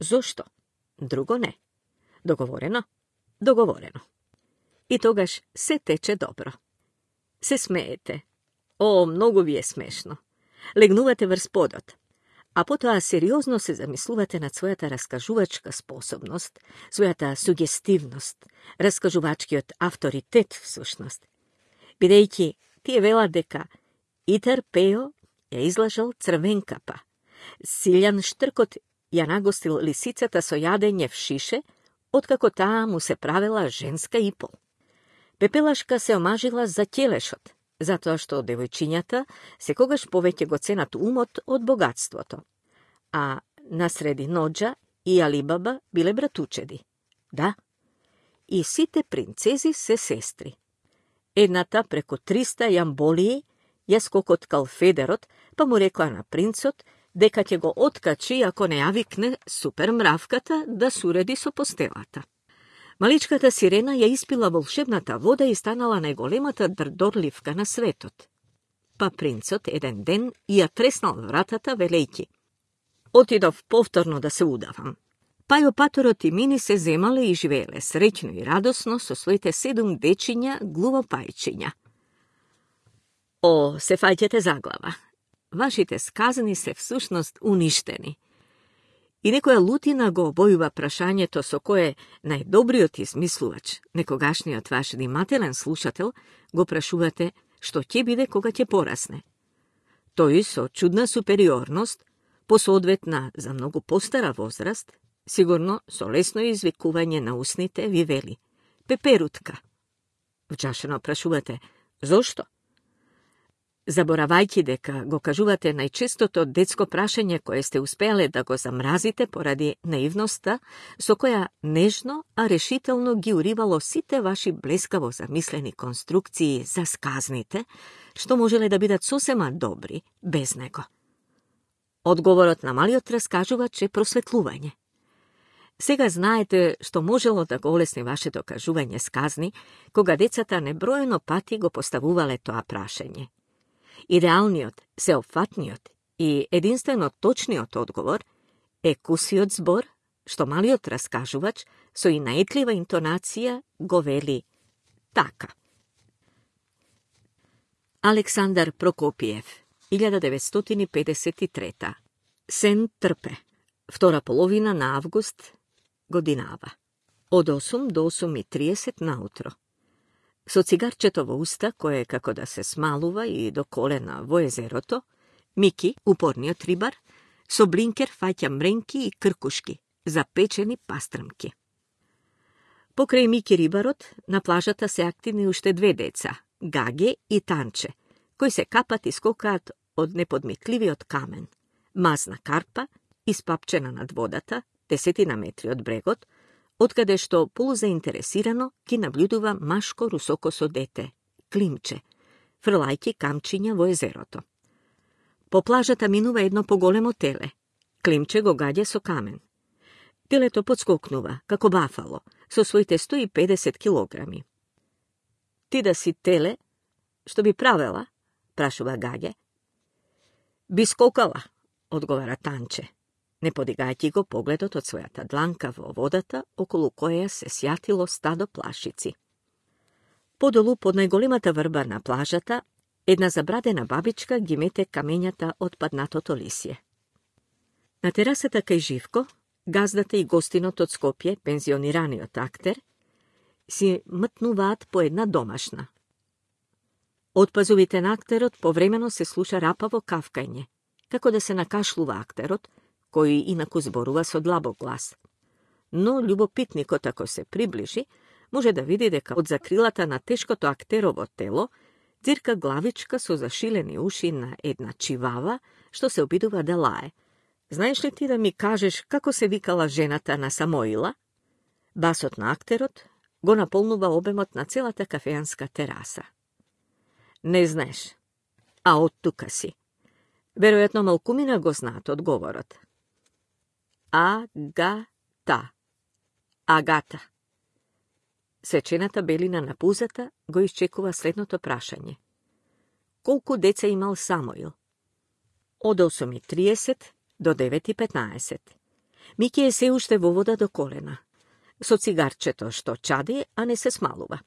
зошто, друго не. Договорено, договорено. И тогаш се тече добро. Се смеете. О, многу ви е смешно. Легнувате врз подот, а потоа сериозно се замислувате над својата раскажувачка способност, својата сугестивност, раскажувачкиот авторитет всушност. Бидејќи тие велат дека Итар Пео ја излажал Црвенкапа, Силјан Штркот ја нагостил лисицата со јадење в шише, откако таа му се правела женска и пол. Пепелашка се омажила за ќелешот, затоа што девојчињата секогаш повеќе го ценат умот од богатството. А насреди Ноџа и Алибаба биле братучеди. Да, и сите принцези се сестри. Едната преку 300 јамболии ја скокоткал Федерот, па му рекла на принцот дека ќе го откачи ако не ја викне супер мравката да суреди со постелата. Маличката сирена ја испила волшебната вода и станала најголемата дрдорливка на светот. Па принцот еден ден ја треснал вратата велејќи: отидов повторно да се удавам. Па и паторот и Мини се земале и живееле среќно и радосно со своите 7 дечиња глувопајчиња. О, се фаќате заглава. Вашите сказани се всушност уништени. И некоја лутина го обојува прашањето со кое најдобриот измислувач, некогашниот ваш внимателен слушател, го прашувате што ќе биде кога ќе порасне. Тој со чудна супериорност, посоодветна за многу постара возраст, сигурно со лесно извикување на усните ви вели: пеперутка. Вчашено прашувате: зошто? Заборавајќи дека го кажувате најчестото детско прашање кое сте успеале да го замразите поради наивноста, со која нежно, а решително ги уривало сите ваши блескаво замислени конструкции за сказните, што можеле да бидат сосема добри без него. Одговорот на малиот раскажувач е просветлување. Сега знаете што можело да го олесни вашето кажување сказни, кога децата неброено пати го поставувале тоа прашање. Идеалниот, сеопфатниот и единствено точниот одговор е кусиот збор, што малиот раскажувач со и наетлива интонација го вели така. Александар Прокопиев, 1953. Сен трпе. Втора половина на август годинава. Од 8 до 8:30 наутро. Со цигарчето во уста, кое како да се смалува и до колена во езерото, Мики, упорниот рибар, со блинкер фаќа мренки и кркушки, запечени пастрмки. Покрај Мики рибарот, на плажата се активни уште две деца, Гаге и Танче, кои се капат и скокаат од неподмитливиот камен, мазна карпа, испапчена над водата, 10 метри од брегот, откаде што полузаинтересирано ги наблюдува машко русокосо дете, Климче, фрлајќи камчиња во езерото. По плажата минува едно поголемо теле. Климче го гаѓа со камен. Телето подскокнува, како бафало, со своите 150 килограми. Ти да си теле, што би правела? Прашува Гаѓе. Би скокала, одговара Танче, не подигајќи го погледот од својата дланка во водата, околу која се сјатило стадо плашици. Подолу, под најголемата врба на плажата, една забрадена бабичка ги мете камењата од паднатото лисје. На терасата кај Живко, газдата и гостинот од Скопје, пензионираниот актер, си мтнуваат по една домашна. Од пазувите на актерот повремено се слуша рапаво кавкање, како да се накашлува актерот, кој инаку зборува со длабок глас. Но љубопитникот, ако се приближи, може да види дека од закрилата на тешкото актерово тело цирка главичка со зашилени уши на една чивава, што се обидува да лае. Знаеш ли ти да ми кажеш како се викала жената на Самоила? Басот на актерот го наполнува обемот на целата кафеанска тераса. Не знаеш, а од тука си. Веројатно малкумина го знаат одговорот. Агата. Сечената белина на пузата го исчекува следното прашање. Колку деца имал Самоил? Од 8:30 до 9:15. Мики е се уште во вода до колена. Со цигарчето што чади, а не се смалува.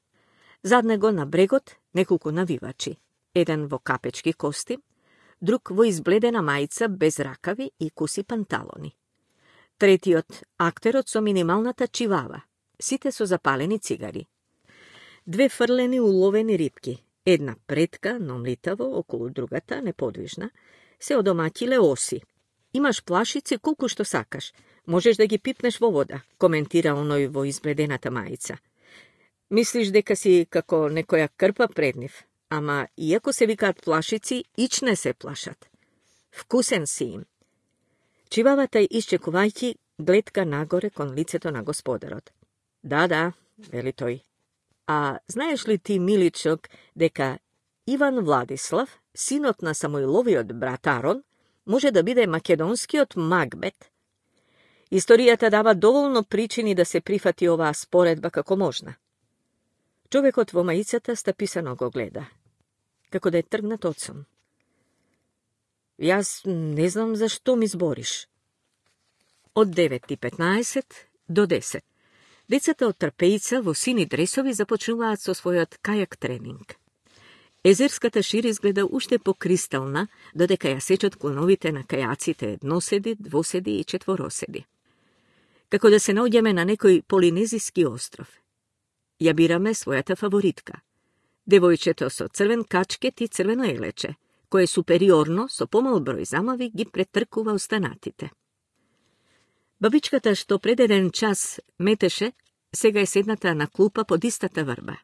Зад него на брегот неколку навивачи. Еден во капечки костим, друг во избледена мајца без ракави и куси панталони. Третиот актерот со минималната чивава, сите со запалени цигари. Две фрлени уловени рибки, една предка, но млитаво, околу другата, неподвижна, се одомаќиле оси. Имаш плашици колку што сакаш, можеш да ги пипнеш во вода, коментира оној во избледената мајца. Мислиш дека си како некоја крпа пред нив, ама иако се викаат плашици, ич не се плашат. Вкусен си им. Чивавата исчекувајќи гледка нагоре кон лицето на господарот. Да, вели тој. А знаеш ли ти, миличок, дека Иван Владислав, синот на Самоиловиот брат Арон, може да биде македонскиот Макбет? Историјата дава доволно причини да се прифати оваа споредба како можна. Човекот во маицата стаписано го гледа, како да е тргнат од сон. Јас не знам зашто ми збориш. Од 9:15 до 10. Децата од Трпеица во сини дресови започнуваат со својот кајак тренинг. Езерската шир изгледа уште покристална, додека ја сечат клоновите на кајаците едноседи, двоседи и четвороседи. Како да се наоѓаме на некој полинезиски остров. Ја бираме својата фаворитка. Девојчето со црвен качкет и црвено елече, кое супериорно, со помал број замави, ги претркува останатите. Бабичката што пред еден час метеше, сега е седната на клупа под истата врба.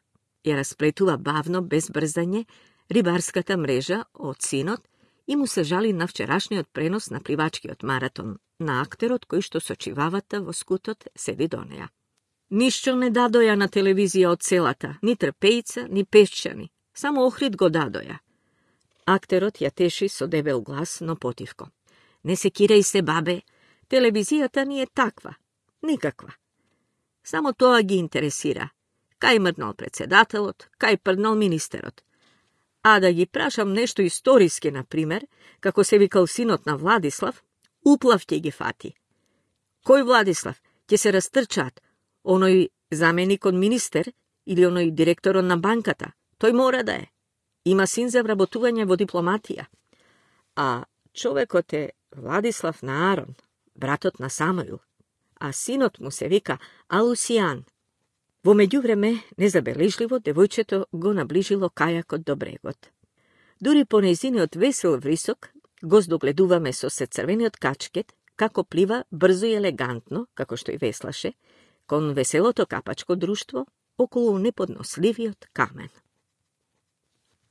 Ја расплетува бавно, без брзање, рибарската мрежа од синот и му се жали на вчерашниот пренос на пливачкиот маратон, на актерот кој што со чивавата во скутот седи до неја. Ништо не дадоја на телевизија од селата, ни трпејца, ни пешчани, само Охрид го дадоја. Актерот ја теши со дебел глас, но потивко. Не се кирај се, бабе, телевизијата ни е таква, никаква. Само тоа ги интересира. Кај мрднал председателот, кај прднал министерот. А да ги прашам нешто историски, например, како се викал синот на Владислав, уплав ќе ги фати. Кој Владислав? Ќе се растрчаат. Оној заменик од министер или оној директорот на банката? Тој мора да е. Има син за вработување во дипломатија. А човекот е Владислав на Арон, братот на Самуил, а синот му се вика Алусијан. Во меѓувреме, незабележливо, девојчето го наближило кајакот до брегот. Дури по нејзиниот весел врисок, го здогледуваме со сецрвениот качкет, како плива брзо и елегантно, како што и веслаше, кон веселото капачко друштво, околу неподносливиот камен.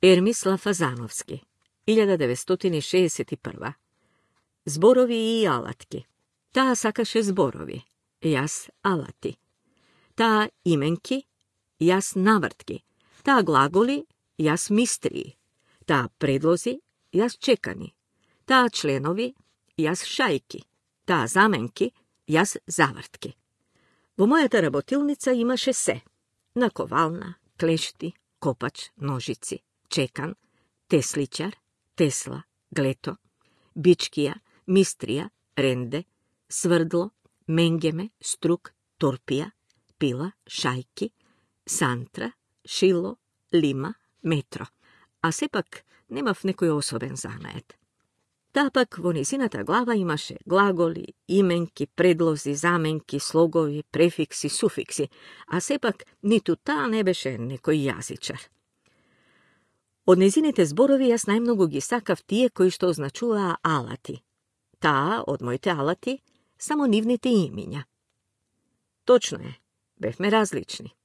Ермис Лафазановски, 1961. Зборови и алатки. Таа сакаше зборови, јас алати. Таа именки, јас навртки. Таа глаголи, јас мистрии. Таа предлози, јас чекани. Таа членови, јас шајки. Таа заменки, јас завртки. Во мојата работилница имаше се. Наковална, клешти, копач, ножици, чекан, тесличар, тесла, глето, бичкија, мистрија, ренде, сврдло, менгеме, струк, торпија, пила, шајки, сантра, шило, лима, метро. А сепак немав некој особен занает. Таа пак во низината глава имаше глаголи, именки, предлози, заменки, слогови, префикси, суфикси, а сепак ниту таа не беше некој јазичар. Од незините зборови јас најмногу ги сакав тие кои што означуваа алати. Таа, од моите алати, само нивните имиња. Точно е, бевме различни.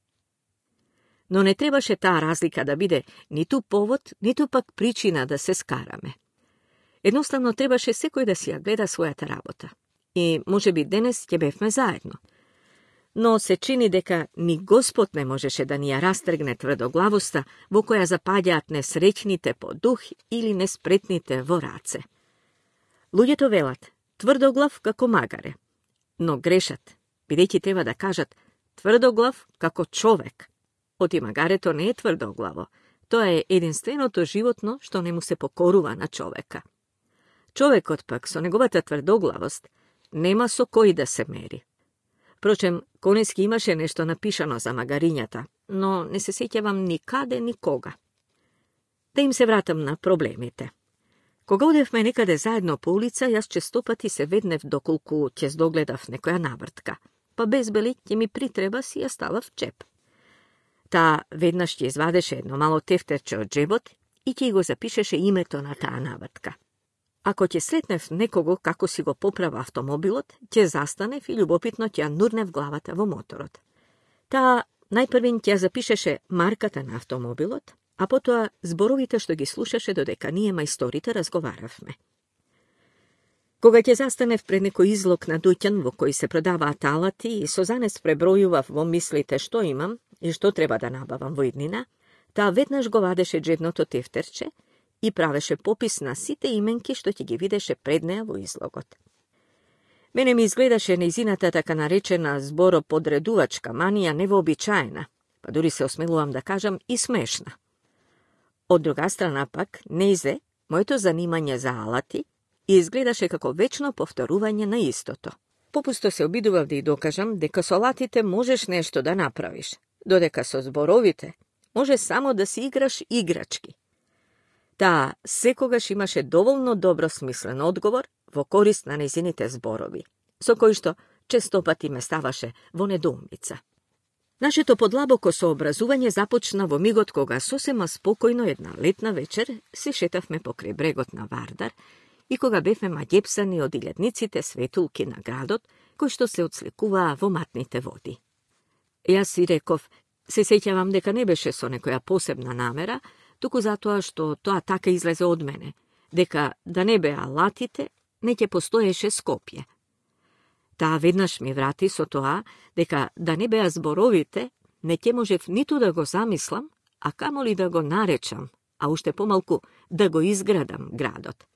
Но не требаше таа разлика да биде ниту повод, ниту пак причина да се скараме. Едноставно требаше секој да си ја гледа својата работа. И може би денес ќе бевме заедно. Но се чини дека ни Господ не можеше да ни ја растргне тврдоглавоста во која запаѓаат несреќните по дух или неспретните во раце. Луѓето велат тврдоглав како магаре, но грешат, бидејќи треба да кажат тврдоглав како човек. Оти магарето не е тврдоглаво, тоа е единственото животно што не му се покорува на човека. Човекот пак со неговата тврдоглавост нема со кој да се мери. Впрочем, Конески имаше нешто напишано за магарињата, но не се сеќавам никаде никога. Да им се вратам на проблемите. Кога одевме некаде заедно по улица, јас честопати се веднев доколку ќе здогледав некоја навртка, па без бели ќе ми притреба си ја ставав чеп. Таа веднаш ќе извадеше едно мало тефтерче од джебот и ќе го запишеше името на таа навртка. Ако ќе сретнев некого како си го поправа автомобилот, ќе застанев и љубопитно ќе ја нурнев главата во моторот. Таа најпрвин ќе ја запишеше марката на автомобилот, а потоа зборовите што ги слушаше додека ние мајсторите разговаравме. Кога ќе застанев пред некој излог на дуќан во кој се продаваат алати и со занес пребројував во мислите што имам и што треба да набавам во иднина, таа веднаш го вадеше джебното тефтерче и правеше попис на сите именки што ќе ги видеше пред неа во излогот. Мене ми изгледаше нејзината така наречена збороподредувачка манија невообичаена, па дури се осмелувам да кажам и смешна. Од друга страна пак, нејзе, моето занимање за алати изгледаше како вечно повторување на истото. Попусто се обидував да ја докажам дека со алатите можеш нешто да направиш, додека со зборовите може само да си играш играчки. Таа секогаш имаше доволно добро смислен одговор во корист на нејзините зборови, со кој што честопати ме ставаше во недоумица. Нашето подлабоко сообразување започна во мигот кога сосема спокојно една летна вечер се шетавме покрај брегот на Вардар и кога бевме маѓепсани од илјадниците светулки на градот, кои што се отсликуваа во матните води. Јас си реков, се сеќавам дека не беше со некоја посебна намера, туку затоа што тоа така излезе од мене, дека да не беа латите, не ќе постоеше Скопје. Таа веднаш ми врати со тоа, дека да не беа зборовите, не ќе можев ниту да го замислам, а камоли да го наречам, а уште помалку да го изградам градот.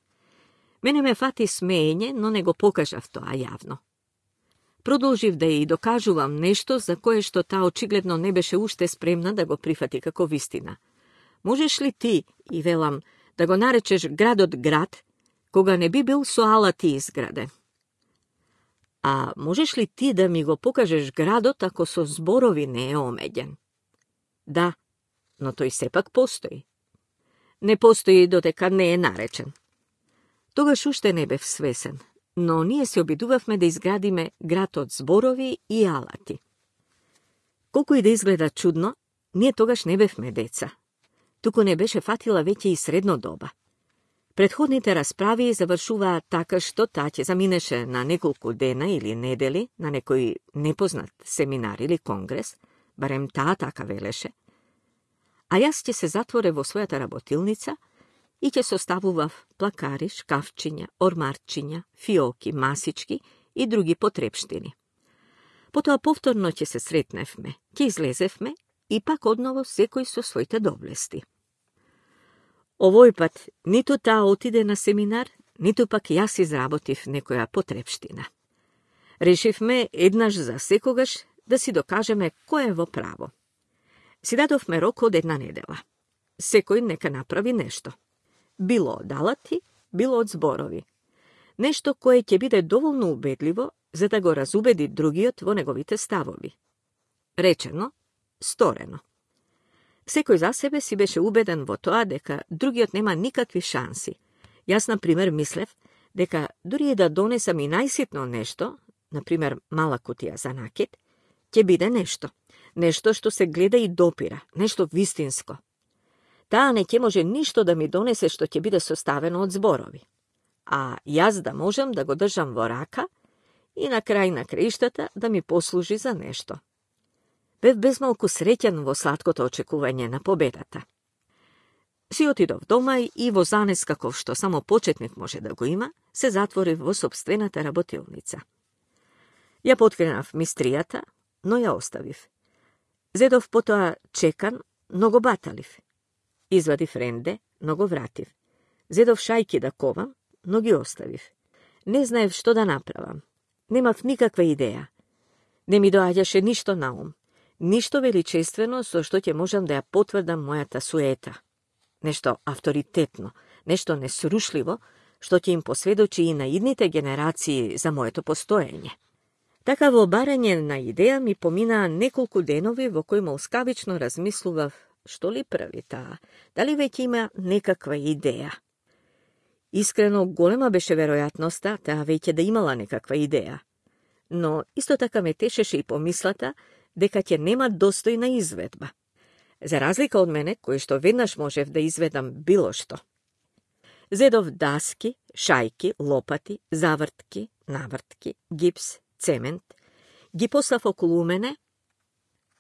Мене ме фати смеење, но не го покажав тоа јавно. Продолжив да ја докажувам нешто за кое што таа очигледно не беше уште спремна да го прифати како вистина. Можеш ли ти, и велам, да го наречеш градот град, кога не би бил со алати изграден? А можеш ли ти да ми го покажеш градот ако со зборови не е омеѓен? Да, но тој сепак постои. Не постои додека не е наречен. Тогаш уште не бев свесен, но ние се обидувавме да изградиме град од зборови и алати. Колку и да изгледа чудно, ние тогаш не бевме деца. Туку не беше фатила веќе и средно доба. Предходните расправи завршуваа така што таа ќе заминеше на неколку дена или недели на некој непознат семинар или конгрес, барем таа така велеше, а јас ќе се затворе во својата работилница и ќе составував плакари, шкафчиња, ормарчиња, фиоки, масички и други потрепштини. Потоа повторно ќе се сретневме, ќе излезевме и пак одново секој со своите доблести. Овој пат ниту таа отиде на семинар, ниту пак јас изработив некоја потрепштина. Решивме еднаш за секогаш да си докажеме кој е во право. Си дадовме рок од една недела. Секој нека направи нешто. Било од алати, било од зборови. Нешто кое ќе биде доволно убедливо за да го разубеди другиот во неговите ставови. Речено, сторено. Секој за себе си беше убеден во тоа дека другиот нема никакви шанси. Јас, например, мислев дека дури и да донесам и најситно нешто, например, мала кутија за накид, ќе биде нешто. Нешто што се гледа и допира, нешто вистинско. Таа не ќе може ништо да ми донесе што ќе биде составено од зборови. А јас да можам да го држам во рака и на крај на краиштата да ми послужи за нешто. Бев безмалку среќен во сладкото очекување на победата. Си отидов дома и во занес каков што само почетник може да го има, се затворив во сопствената работилница. Ја поткренав мистријата, но ја оставив. Зедов потоа чекан, но го баталив. Извадив ренде, но го вратив. Зедов шајки да ковам, но ги оставив. Не знаев што да направам. Немав никаква идеја. Не ми доаѓаше ништо на ум. Ништо величествено со што ќе можам да ја потврдам мојата суета. Нешто авторитетно, нешто несрушливо, што ќе им посведочи и на идните генерации за моето постоење. Така во барање на идеја ми поминаа неколку денови во кои молскавично размислував што ли прави таа, дали веќе има некаква идеја. Искрено, голема беше веројатноста таа веќе да имала некаква идеја. Но исто така ме тешеше и помислата дека ќе нема достојна изведба. За разлика од мене, кој што веднаш можев да изведам било што. Зедов даски, шајки, лопати, завртки, навртки, гипс, цемент, ги послав околу мене,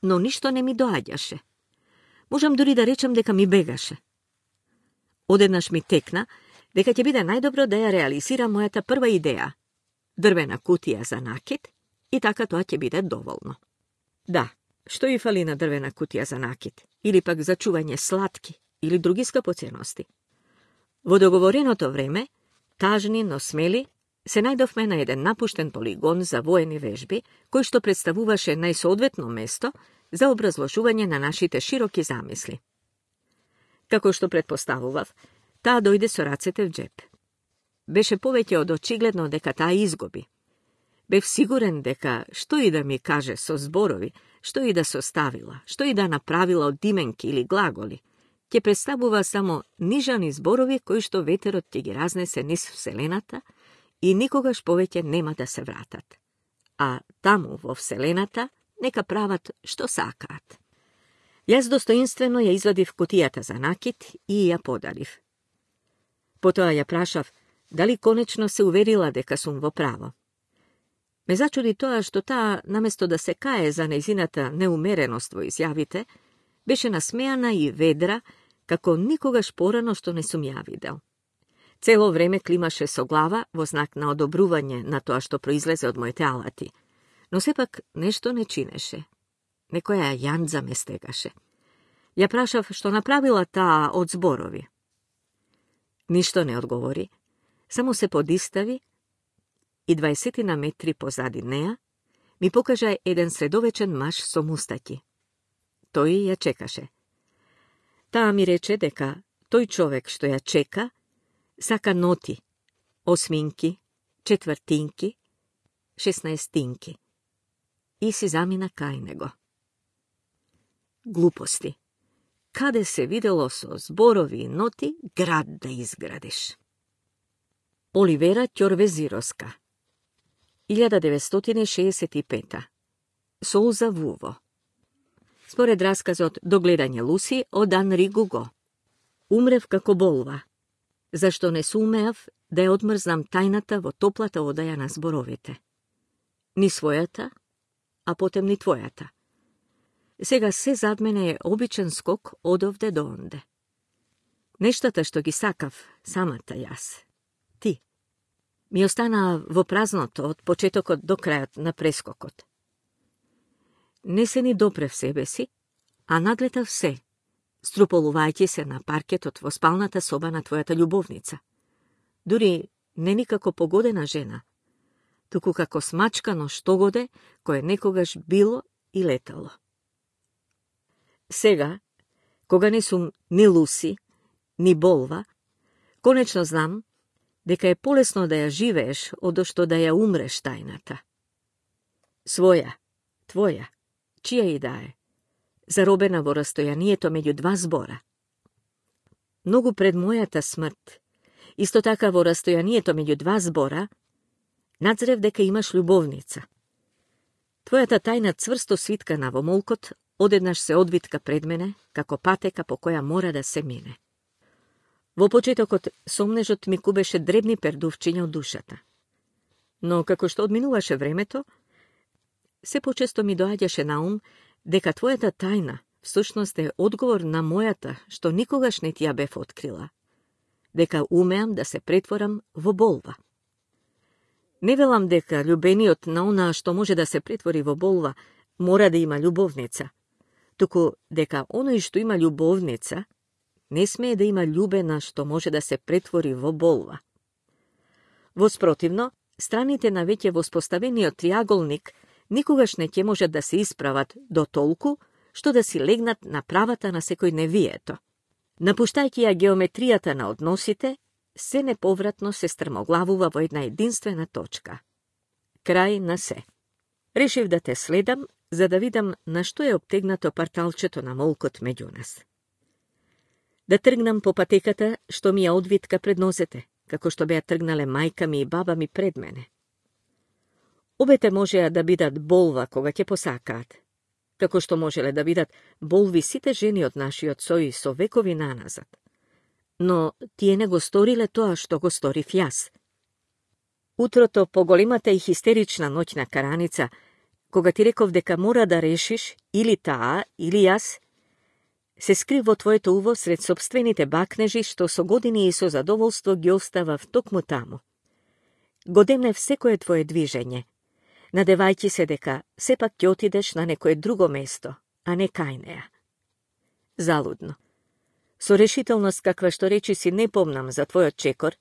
но ништо не ми доаѓаше. Можам дури да речам дека ми бегаше. Одеднаш ми текна дека ќе биде најдобро да ја реализирам мојата прва идеја – дрвена кутија за накид, и така тоа ќе биде доволно. Да, што и фали на дрвена кутија за накид, или пак за чување сладки или други скапоценности. Во договореното време, тажни, но смели, се најдовме на еден напуштен полигон за воени вежби, кој што представуваше најсоодветно место за образложување на нашите широки замисли. Како што предпоставував, таа дојде со рацете в джеп. Беше повеќе од очигледно дека таа изгуби. Бев сигурен дека што и да ми каже со зборови, што и да составила, што и да направила од дименки или глаголи, ќе представува само нижани зборови кои што ветерот ќе ги разнесе низ вселената и никогаш повеќе нема да се вратат. А таму во вселената нека прават што сакаат. Јас достоинствено ја извадив кутијата за накид и ја подарив. Потоа ја прашав дали конечно се уверила дека сум во право. Ме зачуди тоа што таа, наместо да се кае за нејзината неумереност во изјавите, беше насмеана и ведра, како никогаш порано што не сум ја видел. Цело време климаше со глава во знак на одобрување на тоа што произлезе од моите алати, но сепак нешто не чинеше. Некоја јандза ме стегаше. Ја прашав што направила таа од зборови. Ништо не одговори, само се подистави и 20 метри позади неа ми покажа еден средовечен маж со мустаки. Тој ја чекаше. Таа ми рече дека тој човек што ја чека сака ноти, осминки, четвртинки, 16-тинки. И си замина кај него. Глупости. Каде се видело со зборови и ноти град да изградиш? Оливера Ќорвезироска 1965. Солза вуво. Според расказот Догледање Луси од Анри Гуго. Умрев како болва, зашто не сумеав да ја одмрзнам тајната во топлата одаја на зборовите. Ни својата, а потем ни твојата. Сега се зад мене е обичен скок одовде до онде. Нештата што ги сакав, самата јас, ти, ми останаа во празното од почетокот до крајот на прескокот. Не се ни допрев себе си, а надлетав се, струполувајќи се на паркетот во спалната соба на твојата љубовница. Дури не никако погодена жена, туку како смачкано штогоде кое некогаш било и летало. Сега, кога не сум ни Луси, ни болва, конечно знам дека е полесно да ја живееш одошто да ја умреш тајната. Своја, твоја, чија и да е, заробена во растојанието меѓу два збора. Многу пред мојата смрт, исто така во растојанието меѓу два збора, надзрев дека имаш љубовница. Твојата тајна цврсто свиткана во молкот одеднаш се одвитка пред мене, како патека по која мора да се мине. Во почетокот сомнежот ми кубеше дребни пердувчиња од душата. Но како што одминуваше времето, се почесто ми доаѓаше на ум дека твојата тајна всушност е одговор на мојата, што никогаш не ти ја бев открила. Дека умеам да се претворам во болва. Не велам дека љубениот на онаа што може да се претвори во болва мора да има љубовница, туку дека оној што има љубовница не смее да има љубена што може да се претвори во болва. Воспротивно, страните на веќе воспоставениот триаголник никогаш не ќе можат да се исправат до толку што да си легнат на правата на секој невието. Напуштајќи ја геометријата на односите, се неповратно се стрмоглавува во една единствена точка. Крај на се. Решив да те следам, за да видам на што е обтегнато парталчето на молкот меѓу нас. Да тргнам по патеката што ми ја одвитка пред нозете, како што беа тргнале мајка ми и баба ми пред мене. Обете можеа да бидат болва кога ќе посакаат, како што можеле да бидат болви сите жени од нашиот сој со векови наназад. Но тие не го сториле тоа што го сторив јас. Утрото по големата и хистерична ноќна караница, кога ти реков дека мора да решиш или таа, или јас, се скрив во твоето уво сред собствените бакнежи што со години и со задоволство ги оставав токму таму. Годемнев секое твое движење, надевајќи се дека сепак ќе отидеш на некое друго место, а не кај неа. Залудно. Со решителност каква што речи си не помнам за твојот чекор,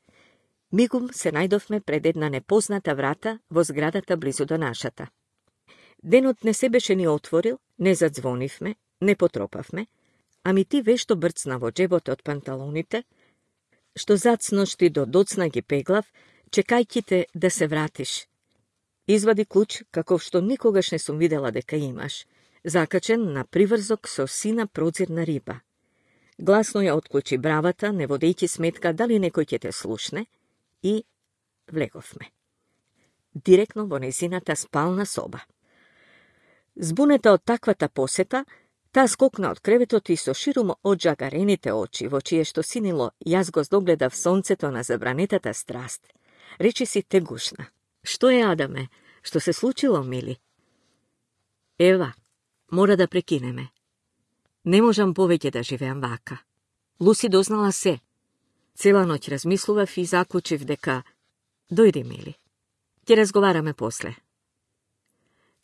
мигум се најдовме пред една непозната врата во зградата близу до нашата. Денот не се беше ни отворил, не задзвонивме, не потропавме, ами ти вешто брцна во джебот од панталоните, што зацношти до доцна ги пеглав, чекајќи те да се вратиш. Извади клуч, каков што никогаш не сум видела дека имаш, закачен на приврзок со сина прозирна риба. Гласно ја отклучи бравата, не водејќи сметка дали некој ќе те слушне, и влеговме. Директно во незината спална соба. Збунета од таквата посета, таа скокна од креветот и со широмо оджагарените очи, во чие што синило јас го догледав сонцето на забранетата страст, речи си тегушна. Што е, Адаме? Што се случило, мили? Ева, мора да прекинеме. Не можам повеќе да живеам вака. Луси дознала се. Цела ноќ размислував и заклучив дека дојди, мили. Ќе разговараме после.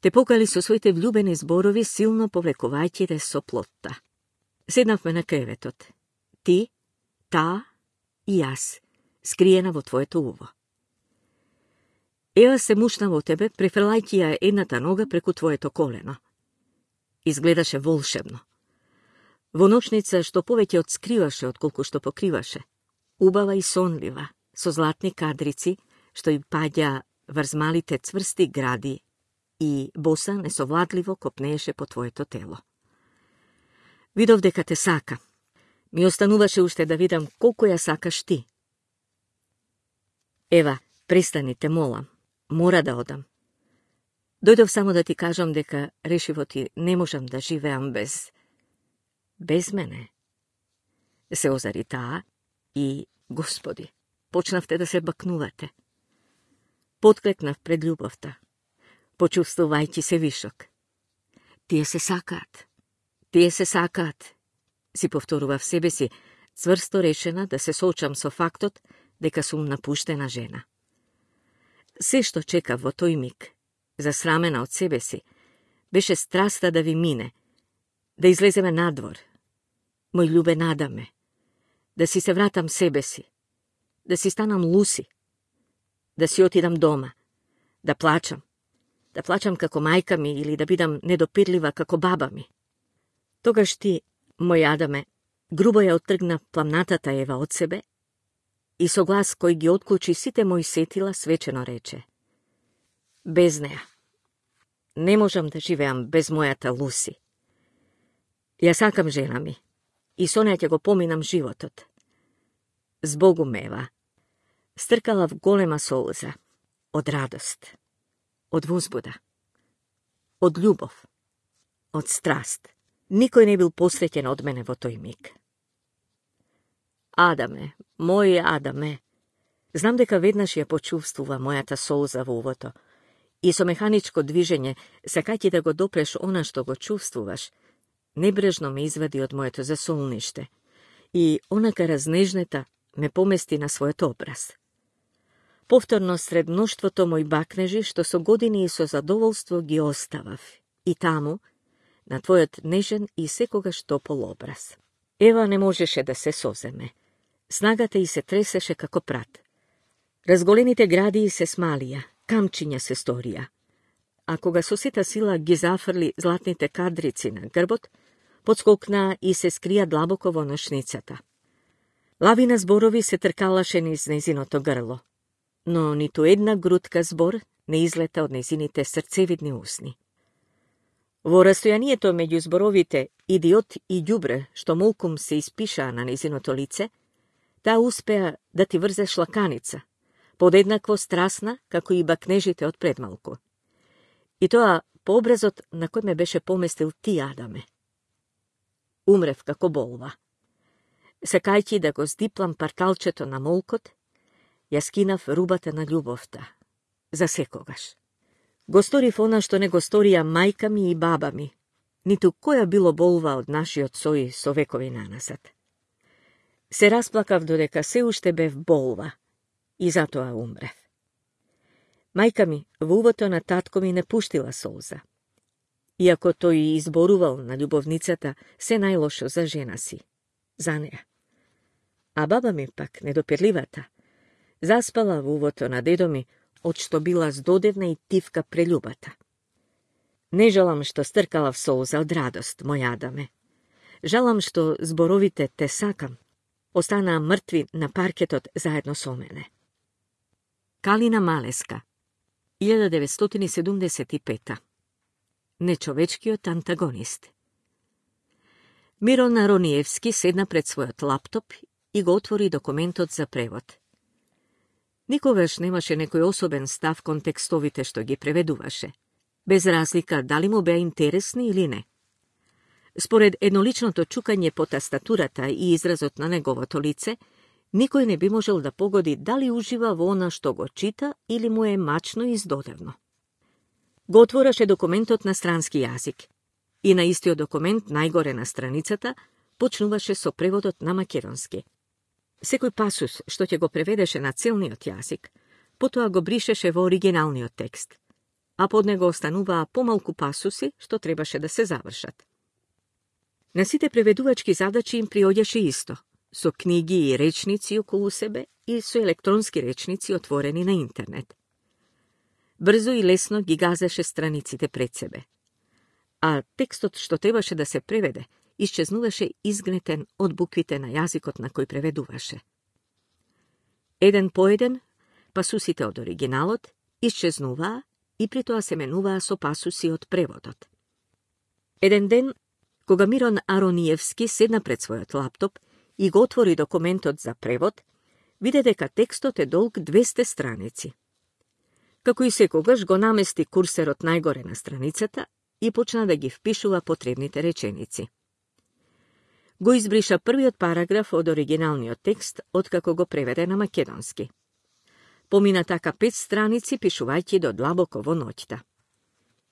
Те покали со своите влюбени зборови, силно повлекувајќи те со плотта. Седнавме на креветот. Ти, таа и јас, скриена во твоето уво. Ева се мушна во тебе, префрлајќи ја едната нога преку твоето колено. Изгледаше волшебно. Во ночница што повеќе отскриваше отколку што покриваше. Убава и сонлива, со златни кадрици, што и паѓа врз малите цврсти гради и боса несовладливо копнееше по твоето тело. Видов дека те сака. Ми остануваше уште да видам колку ја сакаш ти. Ева, престани, те молам. Мора да одам. Дојдов само да ти кажам дека решиво ти не можам да живеам без мене. Се озари таа и, Господи, почнавте да се бакнувате. Потклекнав пред љубовта, почувствувајќи се вишок. Тие се сакаат, си повторував себе си, цврсто решена да се соочам со фактот дека сум напуштена жена. Се што чекав во тој миг, засрамена од себе си, беше страста да ви мине, да излеземе надвор. Мој љубен Адаме, да си се вратам себе си, да си станам Луси, да си отидам дома, да плачам како мајка ми или да бидам недопирлива како баба ми. Тогаш ти, мој Адаме, грубо ја оттргна пламнатата Ева од себе и со глас кој ги отклучи сите мои сетила свечено рече: без неа. Не можам да живеам без мојата Луси. Ја сакам жена ми и со неа ќе го поминам животот. Збогум, Ева. Стркала в голема солза, од радост, од возбуда, од љубов, од страст. Никој не бил посреќен од мене во тој миг. Адаме, мој Адаме, знам дека веднаш ја почувствува мојата солза во увото и со механичко движење, сакајќи да го допреш она што го чувствуваш, небрежно ме извади од моето засолниште и онака разнежнета ме помести на својот образ. Повторно сред мноштвото мој бакнежи, што со години и со задоволство ги оставав, и таму, на твојот нежен и секогаш топол образ. Ева не можеше да се соземе. Снагата и се тресеше како прат. Разголените гради се смалија, камчиња се сторија. А кога со сета сила ги зафрли златните кадрици на грбот, подскокна и се скрија длабоко во ношницата. Лавина зборови се тркалаше низ нејзиното грло, но ниту една грудка збор не излета од нејзините срцевидни усни. Во растојанието меѓу зборовите идиот и ѓубре, што молкум се испишаа на нејзиното лице, таа успеа да ти врзе шлаканица, подеднакво страсна како и бакнежите од предмалку. И тоа по образот на кој ме беше поместил ти, Адаме. Умрев како болва. Сакајќи да го здиплам парталчето на молкот, ја скинав рубата на љубовта. За секогаш. Го сторив она што не го сторија мајка ми и баба ми, ниту која било болва од нашиот сој со векови наназад. Се расплакав додека се уште бев болва и затоа умрев. Мајка ми во увото на татко ми не пуштила солза, иако тој изборувал на љубовницата се најлошо за жена си, за неа. А баба ми пак, недопирливата, заспала во увото на дедо ми, од што била здодевна и тивка прељубата. Не жалам што стркала в солза од радост, мој Адаме. Жалам што зборовите те сакам останаа мртви на паркетот заедно со мене. Калина Малеска, 1975. Нечовечкиот антагонист. Мирон Рониевски седна пред својот лаптоп и го отвори документот за превод. Никогаш немаше некој особен став кон текстовите што ги преведуваше, без разлика дали му беа интересни или не. Според едноличното чукање по тастатурата и изразот на неговото лице, никој не би можел да погоди дали ужива во она што го чита или му е мачно и издодевно. Го отвораше документот на странски јазик и на истиот документ најгоре на страницата почнуваше со преводот на македонски. Секој пасус што ќе го преведеше на целниот јазик, потоа го бришеше во оригиналниот текст, а под него остануваа помалку пасуси што требаше да се завршат. На сите преведувачки задачи им приоѓаше исто, со книги и речници околу себе и со електронски речници отворени на интернет. Брзо и лесно ги газеше страниците пред себе, а текстот што требаше да се преведе исчезнуваше изгнетен од буквите на јазикот на кој преведуваше. Еден по еден, пасусите од оригиналот исчезнуваа и при тоа се менуваа со пасуси од преводот. Еден ден, кога Мирон Арониевски седна пред својот лаптоп и го отвори документот за превод, виде дека текстот е долг 200 страници. Како и секогаш го намести курсерот најгоре на страницата и почна да ги впишува потребните реченици. Го избриша првиот параграф од оригиналниот текст, откако го преведе на македонски. Помина така 5 страници, пишувајќи до длабоко во ноќта.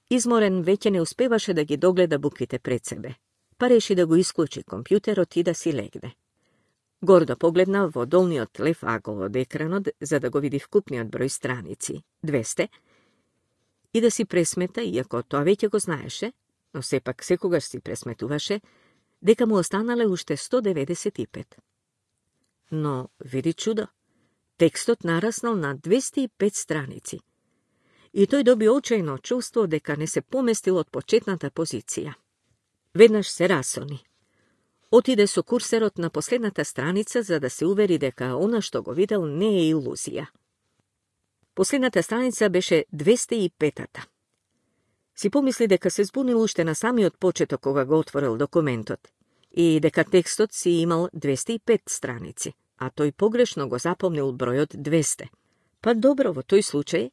Изморен веќе не успеваше да ги догледа буквите пред себе, па реши да го исклучи компјутерот и да си легне. Гордо погледна во долниот лев агол од екранот за да го види вкупниот број страници, 200, и да си пресмета, иако тоа веќе го знаеше, но сепак секогаш си пресметуваше, дека му останале уште 195. Но, види чудо, текстот нараснал на 205 страници. И тој доби очајно чувство дека не се поместил од почетната позиција. Веднаш се расони. Отиде со курсерот на последната страница за да се увери дека она што го видел не е илузија. Последната страница беше 205-та. Си помисли дека се збунил уште на самиот почеток кога го отворил документот и дека текстот си имал 205 страници, а тој погрешно го запомнил бројот 200. Па добро, во тој случај,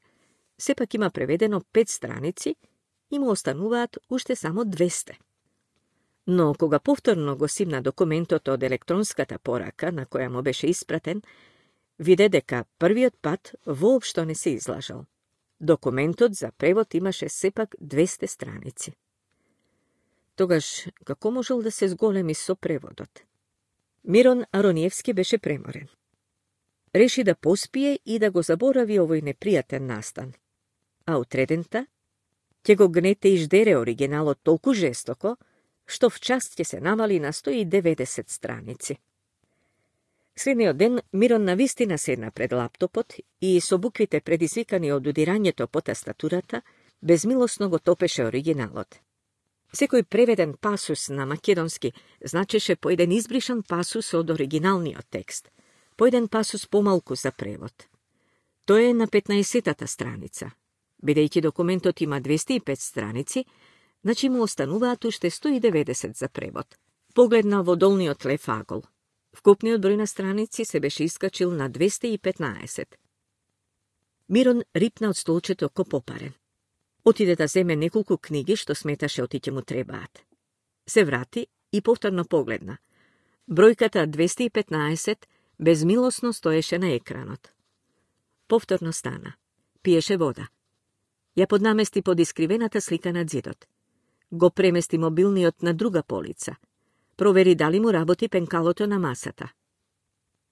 сепак има преведено 5 страници и му остануваат уште само 200. Но кога повторно го симна документот од електронската порака на која му беше испратен, виде дека првиот пат воопшто не се излажал. Документот за превод имаше сепак 200 страници. Тогаш, како можел да се зголеми со преводот? Мирон Арониевски беше преморен. Реши да поспие и да го заборави овој непријатен настан. А утредента ќе го гнете и ждере оригиналот толку жестоко, што в час ќе се намали на 190 страници. Следниот ден Мирон навистина седна пред лаптопот и со буквите предизвикани од удирањето по тастатурата, безмилосно го топеше оригиналот. Секој преведен пасус на македонски значеше по еден избришан пасус од оригиналниот текст, по еден пасус помалку за превод. Тоа е на 15-та страница. Бидејќи документот има 205 страници, значи му остануваат уште 190 за превод. Погледна во долниот лев агол. Вкупниот број на страници се беше искачил на 215. Мирон рипна од столчето ко попарен. Отиде да земе неколку книги што сметаше оти ќе му требаат. Се врати и повторно погледна. Бројката 215 безмилосно стоеше на екранот. Повторно стана. Пиеше вода. Ја поднамести под искривената слика на ѕидот. Го премести мобилниот на друга полица. Провери дали му работи пенкалото на масата.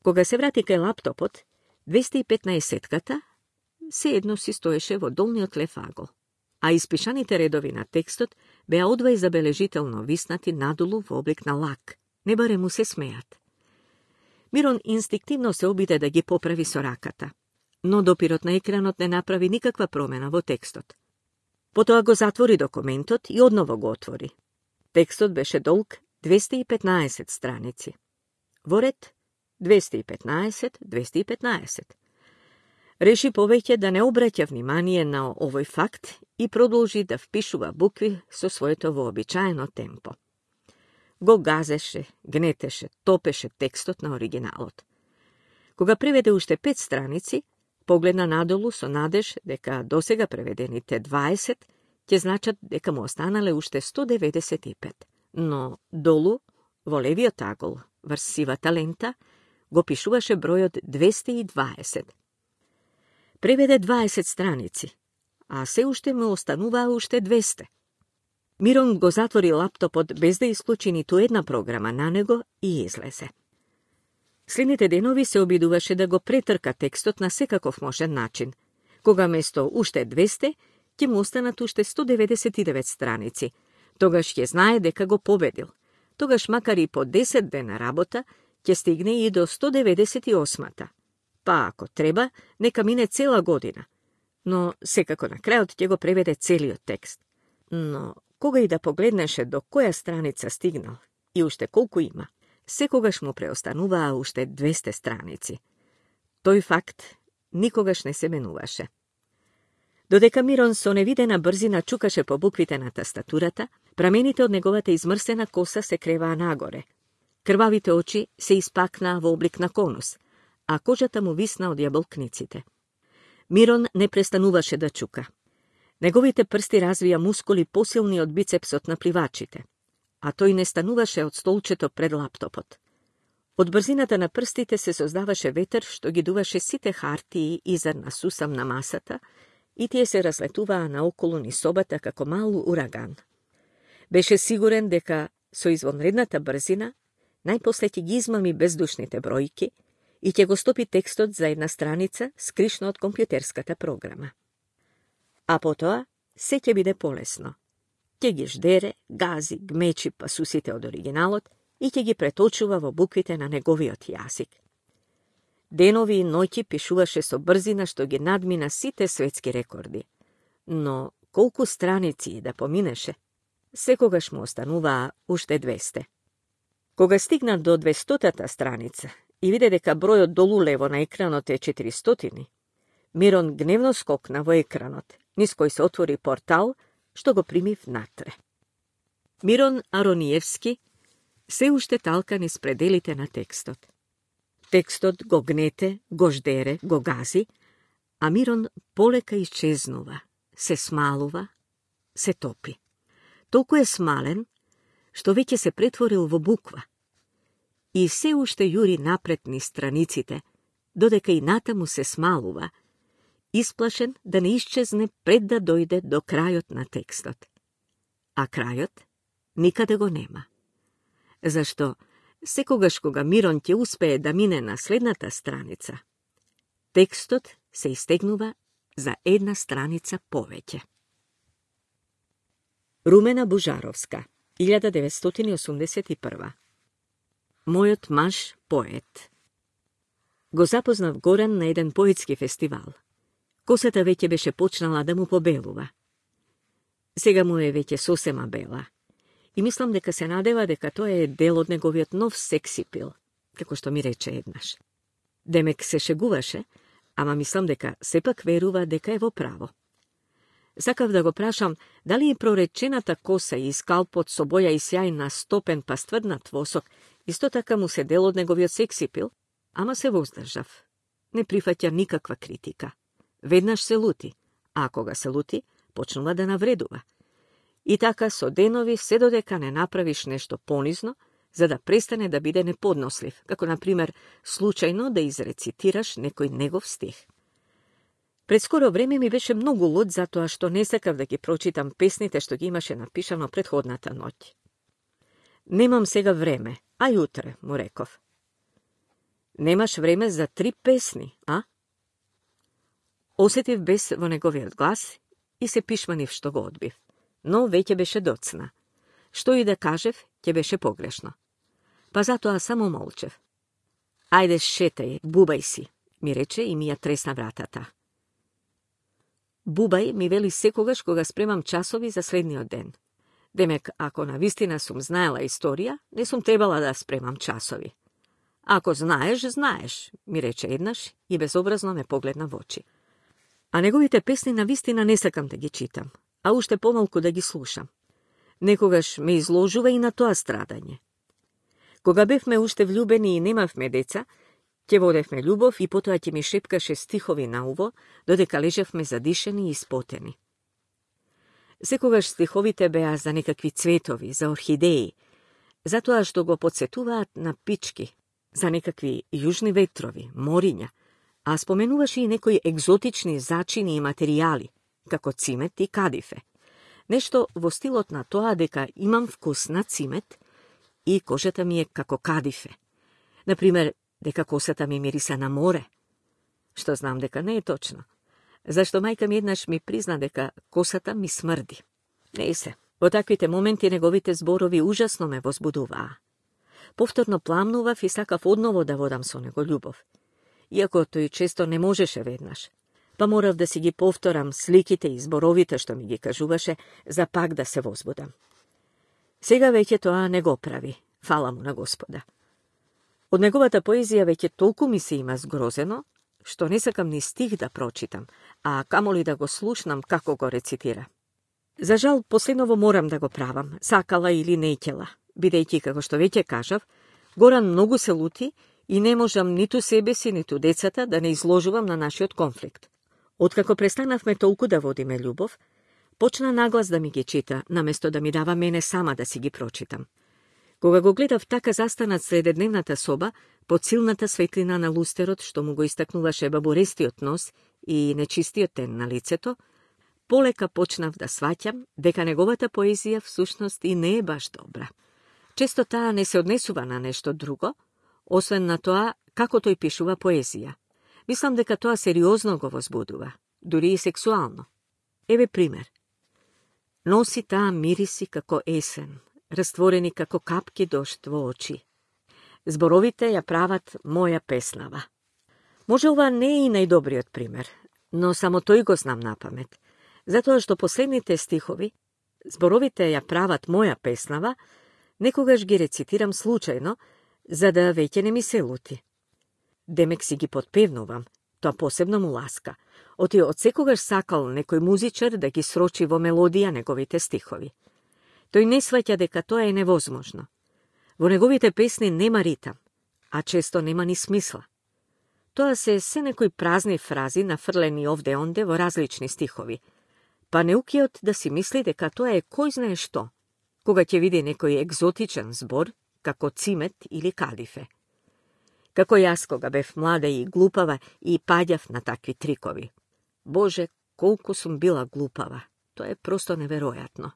Кога се врати кај лаптопот, 215-ката се едно си стоеше во долниот лев агол, а испишаните редови на текстот беа одвај забележително виснати надолу во облик на лак, не баре му се смеат. Мирон инстинктивно се обиде да ги поправи со раката, но допирот на екранот не направи никаква промена во текстот. Потоа го затвори документот и одново го отвори. Текстот беше долг 215 страници. Во ред 215. Реши повеќе да не обраќа внимание на овој факт и продолжи да впишува букви со своето вообичаено темпо. Го газеше, гнетеше, топеше текстот на оригиналот. Кога преведе уште 5 страници, погледна надолу со надеж дека досега преведените 20 ќе значат дека му останале уште 195. Но долу, во левиот агол, врз сивата лента, го пишуваше бројот 220. Преведе 20 страници, а се уште му остануваа уште 200. Мирон го затвори лаптопот без да исклучи ниту една програма на него и излезе. Следните денови се обидуваше да го претрка текстот на секаков можен начин. Кога место уште 200, ќе му останат уште 199 страници. Тогаш ќе знае дека го победил. Тогаш макар и по 10 дена работа, ќе стигне и до 198-та. Па ако треба, нека мине цела година. Но секако на крајот ќе го преведе целиот текст. Но кога и да погледнеше до која страница стигнал и уште колку има, секогаш му преостануваа уште 200 страници. Тој факт никогаш не се менуваше. Додека Мирон со невидена брзина чукаше по буквите на тастатурата, прамените од неговата измрсена коса се креваа нагоре. Крвавите очи се испакнаа во облик на конус, а кожата му висна од јаболкниците. Мирон не престануваше да чука. Неговите прсти развија мускули посилни од бицепсот на пливачите, а тој не стануваше од столчето пред лаптопот. Од брзината на прстите се создаваше ветер што ги дуваше сите хартии и зрна сусам на масата и тие се разлетуваа наоколу низ собата како мал ураган. Беше сигурен дека со извонредната брзина најпосле ќе ги измами бездушните бројки и ќе го стопи текстот за една страница скришно од компјутерската програма. А потоа се ќе биде полесно. Ќе ги ждере, гази, гмечи пасусите од оригиналот и ќе ги преточува во буквите на неговиот јазик. Денови и ноќи пишуваше со брзина што ги надмина сите светски рекорди. Но колку страници да поминеше, секогаш му остануваа уште 200. Кога стигна до 200-та страница и виде дека бројот долу лево на екранот е 400, Мирон гневно скокна во екранот, низ кој се отвори портал, што го прими внатре. Мирон Арониевски се уште талка низ пределите на текстот. Текстот го гнете, го ждере, го гази, а Мирон полека исчезнува, се смалува, се топи. Толку е смален, што веќе се претворил во буква. И се уште јури напред низ страниците, додека и натаму се смалува, исплашен да не исчезне пред да дојде до крајот на текстот. А крајот никаде го нема. Зашто секогаш кога Мирон ќе успее да мине на следната страница, текстот се истегнува за една страница повеќе. Румена Бужаровска, 1981. Мојот маж поет. Го запознав Горан на еден поетски фестивал. Косата веќе беше почнала да му побелува. Сега му е веќе сосема бела. И мислам дека се надева дека тоа е дел од неговиот нов сексипил, како што ми рече еднаш. Демек се шегуваше, ама мислам дека сепак верува дека е во право. Сакав да го прашам дали и проречената коса и скалпот со боја и сјај на стопен па стврднат восок исто така му се дел од неговиот сексипил, ама се воздржав. Не прифаќа никаква критика. Веднаш се лути, а кога се лути, почнува да навредува. И така со денови се додека не направиш нешто понизно, за да престане да биде неподнослив, како например случајно да изрецитираш некој негов стих. Пред скоро време ми беше многу луд затоа што не сакав да ги прочитам песните што ги имаше напишано претходната ноќ. Немам сега време, а јутре, му реков. Немаш време за 3 песни, а? Осетив бес во неговиот глас и се пишманив што го одбив. Но веќе беше доцна. Што и да кажев, ќе беше погрешно. Па затоа само молчев. Ајде шетај, бубај си, ми рече и ми ја тресна вратата. Бубај ми вели секогаш кога спремам часови за следниот ден. Демек, ако навистина сум знаела историја, не сум требала да спремам часови. Ако знаеш, знаеш, ми рече еднаш и безобразно ме погледна во очи. А неговите песни навистина не сакам да ги читам, а уште помалку да ги слушам. Некогаш ме изложува и на тоа страдање. Кога бевме уште влюбени и немавме деца, ќе водевме љубов и потоа ќе ми шепкаше стихови на уво, додека лежевме задишени и испотени. Секогаш стиховите беа за некакви цветови, за орхидеи, затоа што го подсетуваат на пички, за некакви јужни ветрови, мориња, а споменуваше и некои екзотични зачини и материјали, како цимет и кадифе. Нешто во стилот на тоа дека имам вкус на цимет и кожата ми е како кадифе. Например, дека косата ми мириса на море. Што знам дека не е точно. Зашто мајка ми еднаш ми призна дека косата ми смрди. Не се. Во таквите моменти неговите зборови ужасно ме возбудуваа. Повторно пламнував и сакав одново да водам со него љубов. Иако тој често не можеше веднаш. Па морав да си ги повторам сликите и зборовите што ми ги кажуваше, за пак да се возбудам. Сега веќе тоа не го прави, фала му на Господа. Од неговата поезија веќе толку ми се има згрозено, што не сакам ни стих да прочитам, а камоли да го слушнам како го рецитира. За жал, последново морам да го правам, сакала или неќела, бидејќи, како што веќе кажав, Горан многу се лути и не можам ниту себе си, ниту децата да не изложувам на нашиот конфликт. Откако престанавме толку да водиме љубов, почна наглас да ми ги чита, наместо да ми дава мене сама да си ги прочитам. Кога го гледав така застанат средедневната соба, под силната светлина на лустерот, што му го истакнуваше бабурестиот нос и нечистиот тен на лицето, полека почнав да сваќам дека неговата поезија всушност и не е баш добра. Често таа не се однесува на нешто друго, освен на тоа како тој пишува поезија. Мислам дека тоа сериозно го возбудува, дури и сексуално. Еве пример. Носи таа мириси како есен, растворени како капки дожд во очи. Зборовите ја прават моја песнава. Може ова не е и најдобриот пример, но само тој го знам напамет, затоа што последните стихови, зборовите ја прават моја песнава, некогаш ги рецитирам случајно, за да веќе не ми се лути. Демек си ги подпевнувам, тоа посебно му ласка. Оти од секогаш сакал некој музичар да ги срочи во мелодија неговите стихови. Тој не сваќа дека тоа е невозможно. Во неговите песни нема ритам, а често нема ни смисла. Тоа се некои празни фрази нафрлени овде-онде во различни стихови, па неукиот да си мисли дека тоа е кој знае што, кога ќе види некој екзотичен збор, како цимет или кадифе. Како јас кога бев млада и глупава и паѓав на такви трикови. Боже, колку сум била глупава. Тоа е просто неверојатно.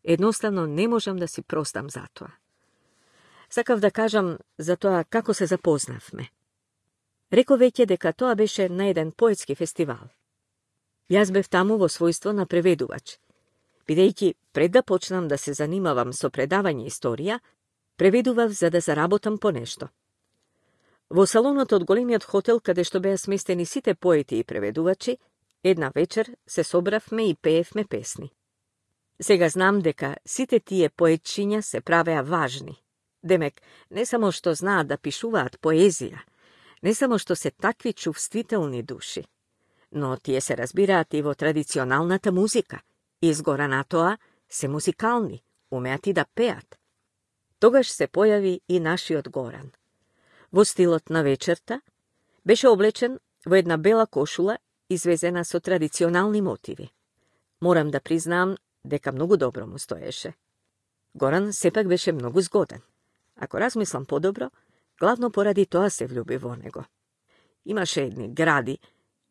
Едноставно не можам да си простам за тоа. Сакав да кажам за тоа како се запознавме. Реков веќе дека тоа беше на еден поетски фестивал. Јас бев таму во својство на преведувач. Бидејќи пред да почнам да се занимавам со предавање историја, преведував за да заработам по нешто. Во салонот од големиот хотел, каде што беа сместени сите поети и преведувачи, една вечер се собравме и пеевме песни. Сега знам дека сите тие поетчиња се правеа важни. Демек, не само што знаат да пишуваат поезија, не само што се такви чувствителни души, но тие се разбираат и во традиционалната музика, и изгора на тоа се музикални, умеат и да пеат. Тогаш се појави и нашиот Горан. Во стилот на вечерта, беше облечен во една бела кошула, извезена со традиционални мотиви. Морам да признаам дека многу добро му стоеше. Горан сепак беше многу згоден. Ако размислам подобро, главно поради тоа се влюби во него. Имаше едни гради,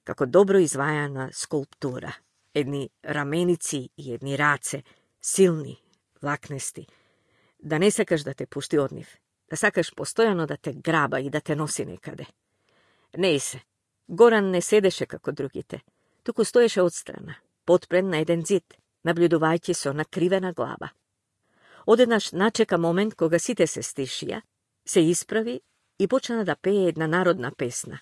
како добро извајана скулптура, едни раменици и едни раце, силни, влакнести, да не сакаш да те пушти од нив, да сакаш постојано да те граба и да те носи некаде. Не се, Горан не седеше како другите, туку стоеше отстрана, подпрен на еден зид, наблюдувајќи со накривена глава. Одеднаш начека момент кога сите се стишија, се исправи и почна да пее една народна песна.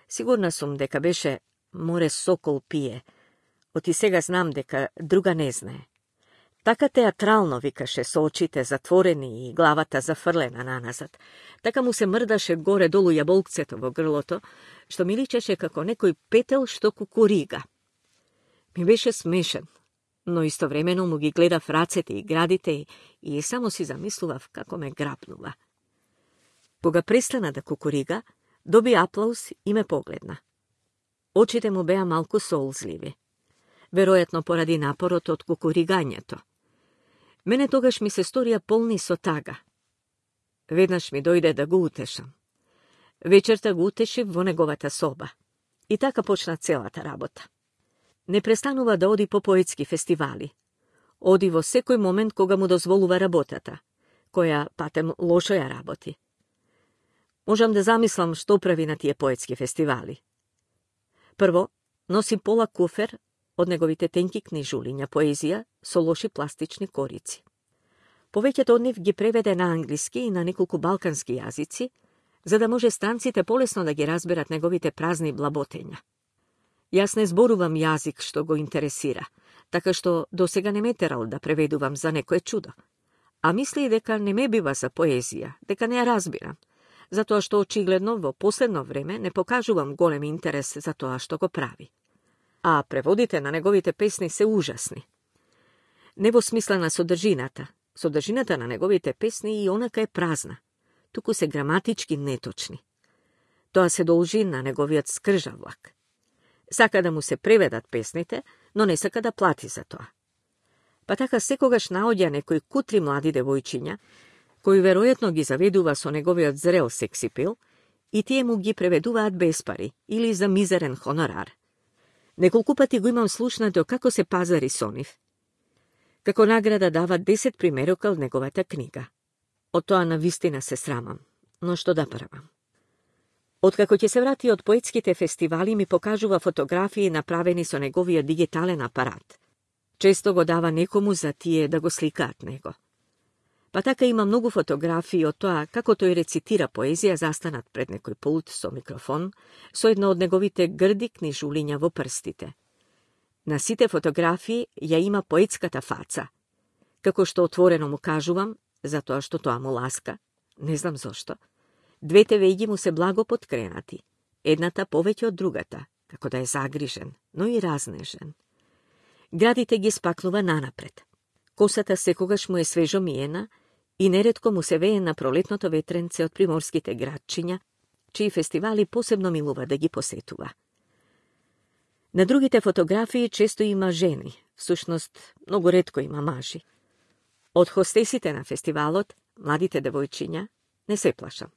Сигурна сум дека беше "Море сокол пие", оти сега знам дека друга не знае. Така театрално викаше со очите затворени и главата зафрлена наназад. Така му се мрдаше горе-долу јаболкцето во грлото, што ми личеше како некој петел што кукурига. Ми беше смешен, но истовремено му ги гледав рацете и градите и само си замислував како ме грабнува. Кога престана да кукурига, доби аплауз и ме погледна. Очите му беа малку солзливи, веројатно поради напорот од кукуригањето. Мене тогаш ми се сторија полни со тага. Веднаш ми дојде да го утешам. Вечерта го утешив во неговата соба. И така почна целата работа. Не престанува да оди по поетски фестивали. Оди во секој момент кога му дозволува работата, која патем лошо ја работи. Можам да замислам што прави на тие поетски фестивали. Прво, носи пола куфер од неговите тенки книжулиња поезија со лоши пластични корици. Повеќето од нив ги преведе на англиски и на неколку балкански јазици, за да може странците полесно да ги разберат неговите празни блаботења. Јас не зборувам јазик што го интересира, така што досега не ме терал да преведувам за некое чудо. А мисли дека не ме бива за поезија, дека не ја разбирам, затоа што очигледно во последно време не покажувам голем интерес за тоа што го прави. А преводите на неговите песни се ужасни. Не во смисла на содржината. Содржината на неговите песни и онака е празна, туку се граматички неточни. Тоа се должи на неговиот скржавлак. Сака да му се преведат песните, но не сака да плати за тоа. Па така секогаш наоѓа некои кутри млади девојчиња, кои веројатно ги заведува со неговиот зрел сексипил, и тие му ги преведуваат без пари или за мизерен хонорар. Неколку пати го имам слушнато како се пазари со нив. Како награда дава 10 примерока од неговата книга. Од тоа навистина се срамам, но што да правам. Откако ќе се врати од поетските фестивали, ми покажува фотографии направени со неговиот дигитален апарат. Често го дава некому за тие да го сликаат него. Па така има многу фотографии од тоа како тој рецитира поезија застанат пред некој пулт со микрофон, со едно од неговите грди книжулиња во прстите. На сите фотографии ја има поетската фаца. Како што отворено му кажувам, затоа што тоа му ласка, не знам зошто, двете вејги му се благо подкренати, едната повеќе од другата, како да е загрижен, но и разнежен. Градите ги спакнува нанапред. Косата секогаш му е свежо миена и неретко му се вее на пролетното ветренце од приморските градчиња, чии фестивали посебно милува да ги посетува. На другите фотографии често има жени, всушност многу ретко има мажи. Од хостесите на фестивалот, младите девојчиња, не се плашам.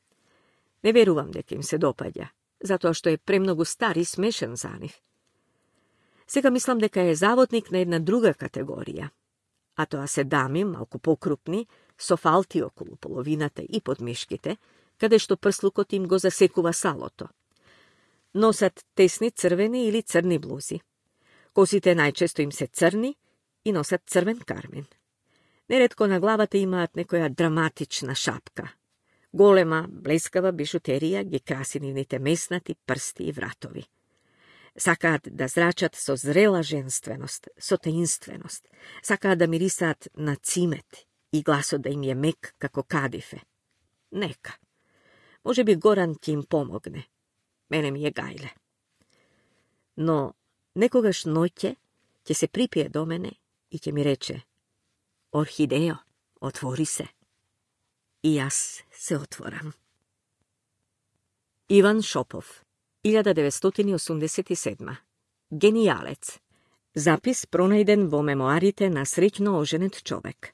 Не верувам дека им се допаѓа, затоа што е премногу стар и смешен за нив. Сега мислам дека е заводник на една друга категорија, а тоа се дами, малку покрупни, со фалти околу половината и под мишките, каде што прслукот им го засекува салото. Носат тесни црвени или црни блузи. Косите најчесто им се црни и носат црвен кармин. Неретко на главата имаат некоја драматична шапка. Голема, блескава бижутерија ги краси нивните меснати, прсти и вратови. Сакаат да зрачат со зрела женственост, со таинственост. Сакаат да мирисаат на цимет и гласот да им е мек како кадифе. Нека. Може би Горан ќе им помогне. Мене ми е гајле. Но некогаш ноќе ќе се припие до мене и ќе ми рече: Орхидео, отвори се. И јас се отворам. Иван Шопов, 1987. Генијалец. Запис пронајден во мемоарите на среќно оженет човек.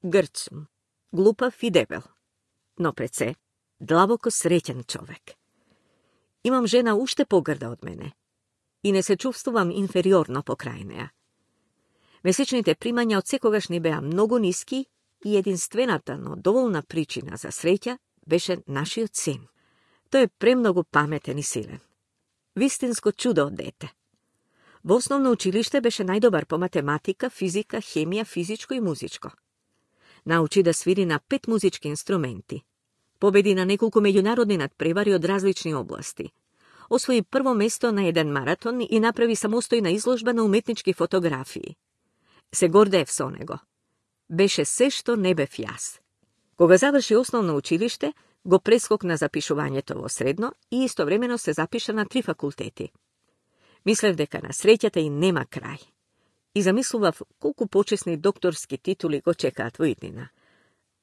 Грд сум, глупав и дебел, но пред се длабоко среќен човек. Имам жена уште погрда од мене и не се чувствувам инфериорно покрај неа. Месечните примања од секогаш ни беа многу ниски и единствената, но доволна причина за среќа беше нашиот син. Тој е премногу паметен и силен. Вистинско чудо од дете. Во основно училиште беше најдобар по математика, физика, хемија, физичко и музичко. Научи да свири на 5 музички инструменти. Победи на неколку меѓународни надпревари од различни области. Освои прво место на еден маратон и направи самостојна изложба на уметнички фотографии. Се гордеев со него. Беше се што не бев јас. Кога заврши основно училиште, го прескокна запишувањето во средно и истовремено се запиша на 3 факултети. Мислев дека на среќата и нема крај. И замислував колку почесни докторски титули го чекаат во иднина.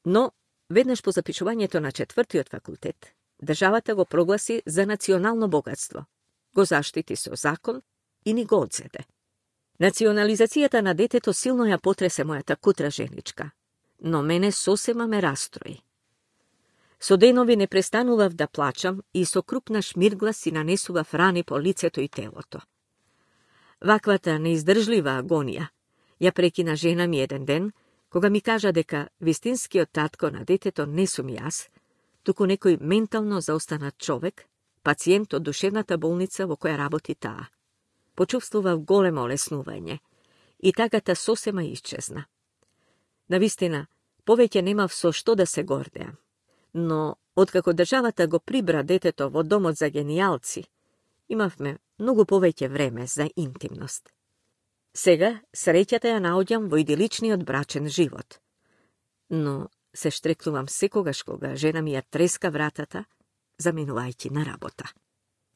Но, веднаш по запишувањето на 4-тиот факултет, државата го прогласи за национално богатство. Го заштити со закон и ни го одзеде. Национализацијата на детето силно ја потресе мојата кутра женичка, но мене сосема ме растрои. Со денови не престанував да плачам и со крупна шмиргла си нанесував рани по лицето и телото. Ваквата неиздржлива агонија Ја прекина жена ми еден ден, кога ми кажа дека вистинскиот татко на детето не сум јас, туку некој ментално заостанат човек, пациент од душевната болница во која работи таа. Почувствував големо олеснување и тагата сосема исчезна. Навистина, повеќе немав со што да се гордеам, но откако државата го прибра детето во домот за генијалци, имавме многу повеќе време за интимност. Сега среќата ја наоѓам во идиличниот брачен живот, но се штрекнувам секогаш кога жена ми ја треска вратата, заминувајќи на работа.